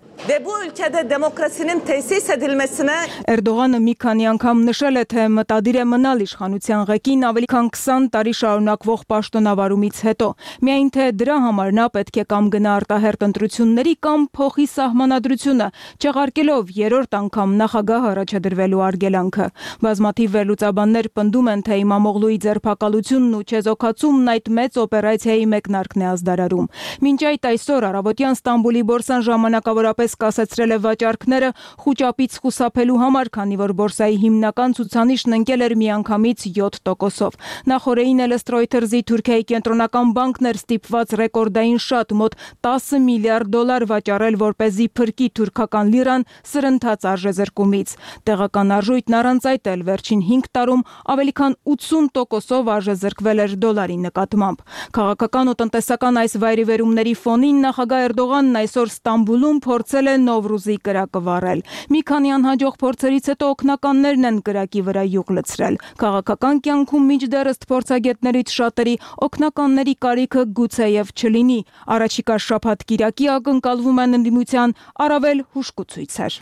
Speaker 6: Էրդողանը մի քանի անգամ նշել է, թե մտադիր է մնալ իշխանության ղեկին ավելի քան 20 տարի շարունակվող պաշտոնավարումից հետո։ Միայն թե դրա համար նա պետք է կամ գնա արտահերթ ընտրությունների կամ փոխի սահմանադրությունը, չեղարկելով երրորդ անգամ նախագահ առաջադրվելու արգելանքը։ Բազմաթիվ վերլուծաբաններ պնդում են, թե Իմամօղլուի ձերբակալությունն ու չեզոքացումն այդ մեծ օպերացիայի մեկնարկն է ազդարարում։ Մինչ այդ այսօր առավոտյան Ստամբուլի բորսան ժամանակավորապես կասեցրել է վաճառքները խուճապից խուսափելու համար, քանի որ բորսայի հիմնական ցուցանիշն ընկել էր միանգամից 7%-ով։ Նախորդին էլ ըստ Reuters-ի Թուրքիայի կենտրոնական բանկն էր ստիպված ռեկորդային շատ մոտ $10 միլիարդ վաճառել, որպեսզի փրկի թուրքական լիրան սրընթաց արժեզրկումից։ Տեղական արժույթն առանց այդ էլ վերջին 5 տարում ավելի քան 80%-ով արժեզրկվել էր դոլարի նկատմամբ։ Քաղաքական ու տնտեսական այս վայրիվերումների ֆոնին նախագահ Էրդողանն այսօր Ստամբուլում փորձել է Նովրուզի կրակը վառել։ Մի քանի անհաջող փորձերից հետո օգնականներն են կրակի վրա յուղ լցրել։ Քաղաքական կյանքում մինչդեռ ըստ փորձագետներից շատերի օգնականների կարիքը գուցեև չլինի։ Առաջիկա շաբաթ կիրակի ակնկալվում են ընդդիմության առավել հուժկու ցույցեր։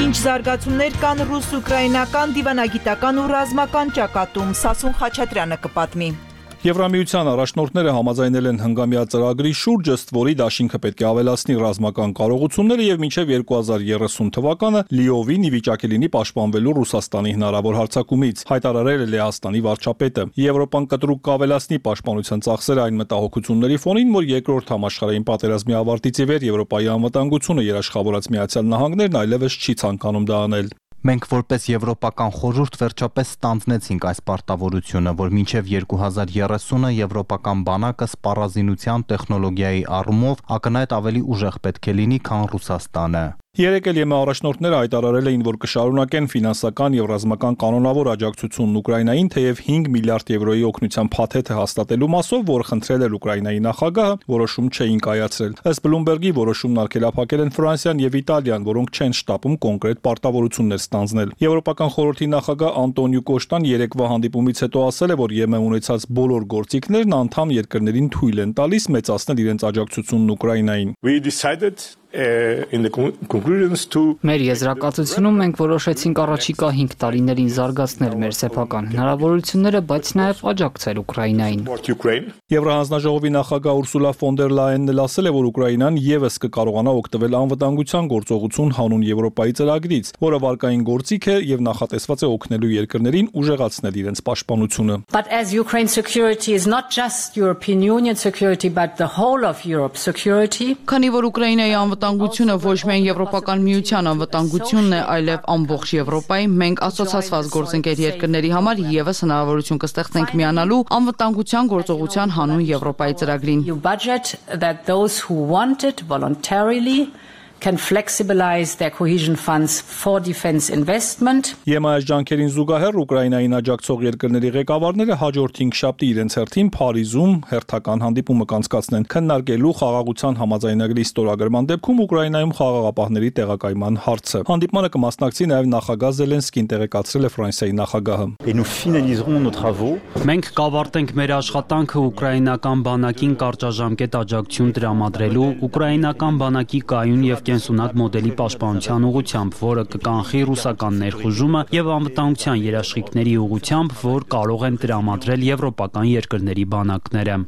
Speaker 1: Ինչ զարգացումներ կան ռուս-ուկրաինական դիվանագիտական ու ռազմական ճակատում, Սասուն Խաչատրյանը կպատմի։
Speaker 8: Եվրամիության առաջնորդները համաձայնել են հնգամյա ծրագրի շուրջ, ըստ որի դաշինքը պետք է ավելացնի ռազմական կարողությունները եւ մինչեւ 2030 թվականը լիովին ի վիճակի լինի պաշտպանվելու Ռուսաստանի հնարավոր հարձակումից, հայտարարել է Լեհաստանի վարչապետը։ Եվրոպան կտրուկ կավելացնի պաշտպանության ծախսերը այն մտահոգությունների ֆոնին, որ երկրորդ համաշխարհային պատերազմի ավարտից ի վեր Եվրոպայի անվտանգությունը երաշխավորած Միացյալ Նահանգներն այլևս չի ցանկանում դա անել։
Speaker 10: Մենք որպես Եվրոպական խորհուրդ վերջապես ստանձնեցինք այս պարտավորությունը, որ մինչև 2030-ը եվրոպական բանակը սպառազինության տեխնոլոգիայի առումով ակնհայտ ավելի ուժեղ պետք է լինի, քան Ռուսաստանը։
Speaker 8: Երեկ էլ ԵՄ առաջնորդները հայտարարել էին, որ կշարունակեն ֆինանսական եւ ռազմական կանոնավոր աջակցությունն Ուկրաինային, թեև 5 միլիարդ եվրոյի օգնության փաթեթը հաստատելու մասով, որ խնդրել էր Ուկրաինայի նախագահը, որոշում չէին կայացրել։ Ըստ Bloomberg-ի որոշումն արգելափակել են Ֆրանսիան եւ Իտալիան, որոնք չեն շտապում կոնկրետ պարտավորություններ ստանձնել։ Եվրոպական խորհրդի նախագահ Անտոնիո Կոշտան երեկվա հանդիպումից հետո ասել է, որ ԵՄ ունեցած բոլոր գործիքներն անդամ երկրներին թույլ են տալիս մեծացնել իրենց աջակցությունն Ուկրաինային։
Speaker 5: Մեր եզրակացությունում մենք որոշեցինք առաջիկա 5 տարիներին զարգացնել մեր սեփական հնարավորությունները, բայց նաև աջակցել Ուկրաինային։
Speaker 8: Եվրահանձնաժողովի նախագահ Ուրսուլա ֆոն դեր Լայենն էլ ասել է, որ Ուկրաինան եւս կկարողանա օգտվել անվտանգության գործողություն հանուն Եվրոպայի ծրագրից, որը վարկային գործիք է եւ նախատեսված է օգնելու երկրներին ուժեղացնել իրենց պաշտպանությունը։
Speaker 11: But as Ukraine security is not just European Union security but the whole of Europe security.
Speaker 12: Քանի որ Ուկրաինայի անվտանգությունը ոչ միայն Եվրոպական միության անվտանգությունն է, այլև ամբողջ Եվրոպայի, մենք ասոցիացված գործընկեր երկրների համար եւս հնարավորություն կստեղծենք միանալու անվտանգության գործողության հանուն Եվրոպայի ծրագրին։
Speaker 11: You budget that those who want it voluntarily can flexibilize their cohesion funds for defense investment.
Speaker 8: ԵՄ-ից ջանքերին զուգահեռ Ուկրաինային աջակցող երկրների ղեկավարները հաջորդ 5 շաբթի իրենց հերթին Փարիզում հերթական հանդիպումը կանցկացնեն, քննարկելու խաղաղության համաձայնագրի ստորագրման դեպքում Ուկրաինայում խաղաղապահների տեղակայման հարցը։ Հանդիպմանը կմասնակցի նաև նախագահ Զելենսկին, տեղեկացրել է Ֆրանսիայի նախագահը։
Speaker 14: Մենք կավարտենք մեր աշխատանքը ուկրաինական բանակին կարճաժամկետ աջակցություն տրամադրելու, ուկրաինական բանակի կայուն եւ կենսունակ մոդելի պաշտպանության ուղղությամբ, որը կկանխի ռուսական ներխուժումը եւ անվտանգության երաշխիքների ուղղությամբ, որ կարող են տրամադրել եվրոպական երկրների բանակները։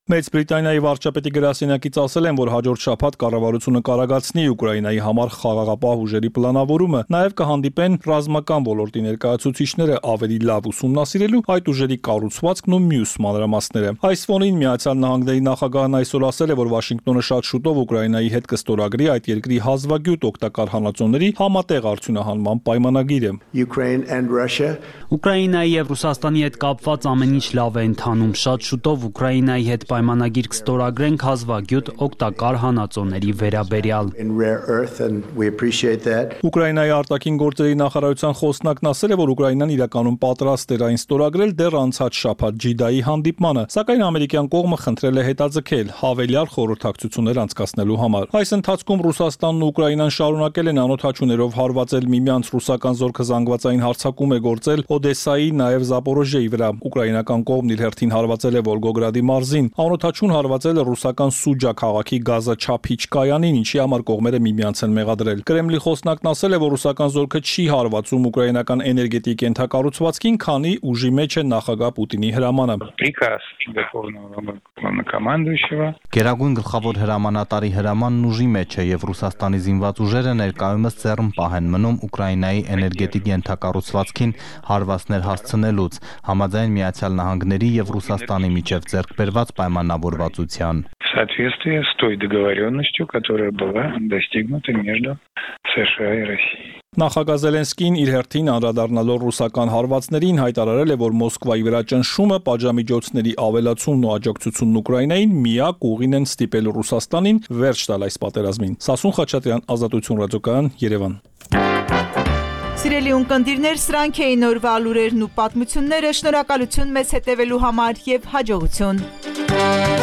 Speaker 8: Մեծ Բրիտանիայի վարչապետի գրասենյակից ասել են, որ հաջորդ շաբաթ կառավարությունը կարողացնի Ուկրաինայի համար խաղաղապահ ուժերի պլանավորումը, նաև կհանդիպեն ռազմական ոլորտի ներկայացուցիչները ավելի լավ ուսումնասիրելու այդ ուժերի կառուցվածքն ու մյուս մանրամասները։ Այս ֆոնին Միացյալ Նահանգների նախագահն այսօր ասել է, որ Վաշինգտոնը շատ շուտով Ուկրաինայի հետ կստորագրի այդ երկրի հազվագյուտ օգտակար հանածոների համատեղ արդյունահանման պայմանագիրը։
Speaker 14: Ուկրաինայի եւ Ռուսաստանի հետ կապված ամեն ինչ լավ է ընթանում։ Շատ շուտով Ուկրաինայի հետ պայմանագիր կստորագրենք հազվագյուտ օգտակար հանածոների վերաբերյալ։
Speaker 8: Ուկրաինայի արտաքին գործերի նախարարության խոսնակն ասել է, որ Ուկրաինան իրականում պատրաստ էր այն ստորագրել դեռ անցած շաբաթ Ջիդայի հանդիպմանը, սակայն ամերիկյան կողմը խնդրել է հետաձգել հավելյալ խորհրդակցություններ անցկացնելու համար։ Այս ընթացքում Ռուսաստանն ու Ուկրաինան շարունակել են անօդաչուներով հարվածել միմյանց, ռուսական զորքը զանգվածային հարձակում է գործել Օդեսայի, նաև Զապորոժիեի վրա։ Ուկրաինական կողմն իր հերթին հարվածել է Վոլգոգրադի մարզին։ Անօդաչուն հարվածել է ռուսական Սուջա քաղաքի գազաչափիչ կայանին, ինչի համար կողմերը միմյանց են մեղադրել։ Կրեմլի խոսնակն ասել է, որ ռուսական զորքը չի հարվածում ուկրաինական էներգետիկ ենթակառուցվածքին, քանի ուժի մեջ է նախագահ Պուտինի հրամանը։
Speaker 10: Գերագույն գլխավոր հրամանատարի հրամանն ուժի մեջ է եւ Ռուսաստանի զինված ուժերը ներկայումս ձեռնպահ են մնում Ուկրաինայի էներգետիկ ենթակառուցվածքին հարվածներ հասցնելուց, համաձայն Միացյալ Նահանգների եւ Ռուսաստանի միջև ձեռքբերված պայմանավորվածության։
Speaker 16: соответствии с той договоренностью, которая была достигнута между США и Россией.
Speaker 8: Նախագահ Զելենսկին իր հերթին անդրադառնալով ռուսական հարվածներին հայտարարել է, որ Մոսկվայի վրա ճնշումը, պատժամիջոցների ավելացումն ու աջակցությունն Ուկրաինային միակ ուղին են ստիպել Ռուսաստանին վերջ տալ այս պատերազմին։ Սասուն Խաչատրյան, Ազատություն ռադիոկայան, Երևան։
Speaker 1: Սիրելի ունկնդիրներ, սրանք էին օրվա լուրերն ու պատմությունները։ Շնորհակալություն մեզ հետևելու համար եւ հաջողություն։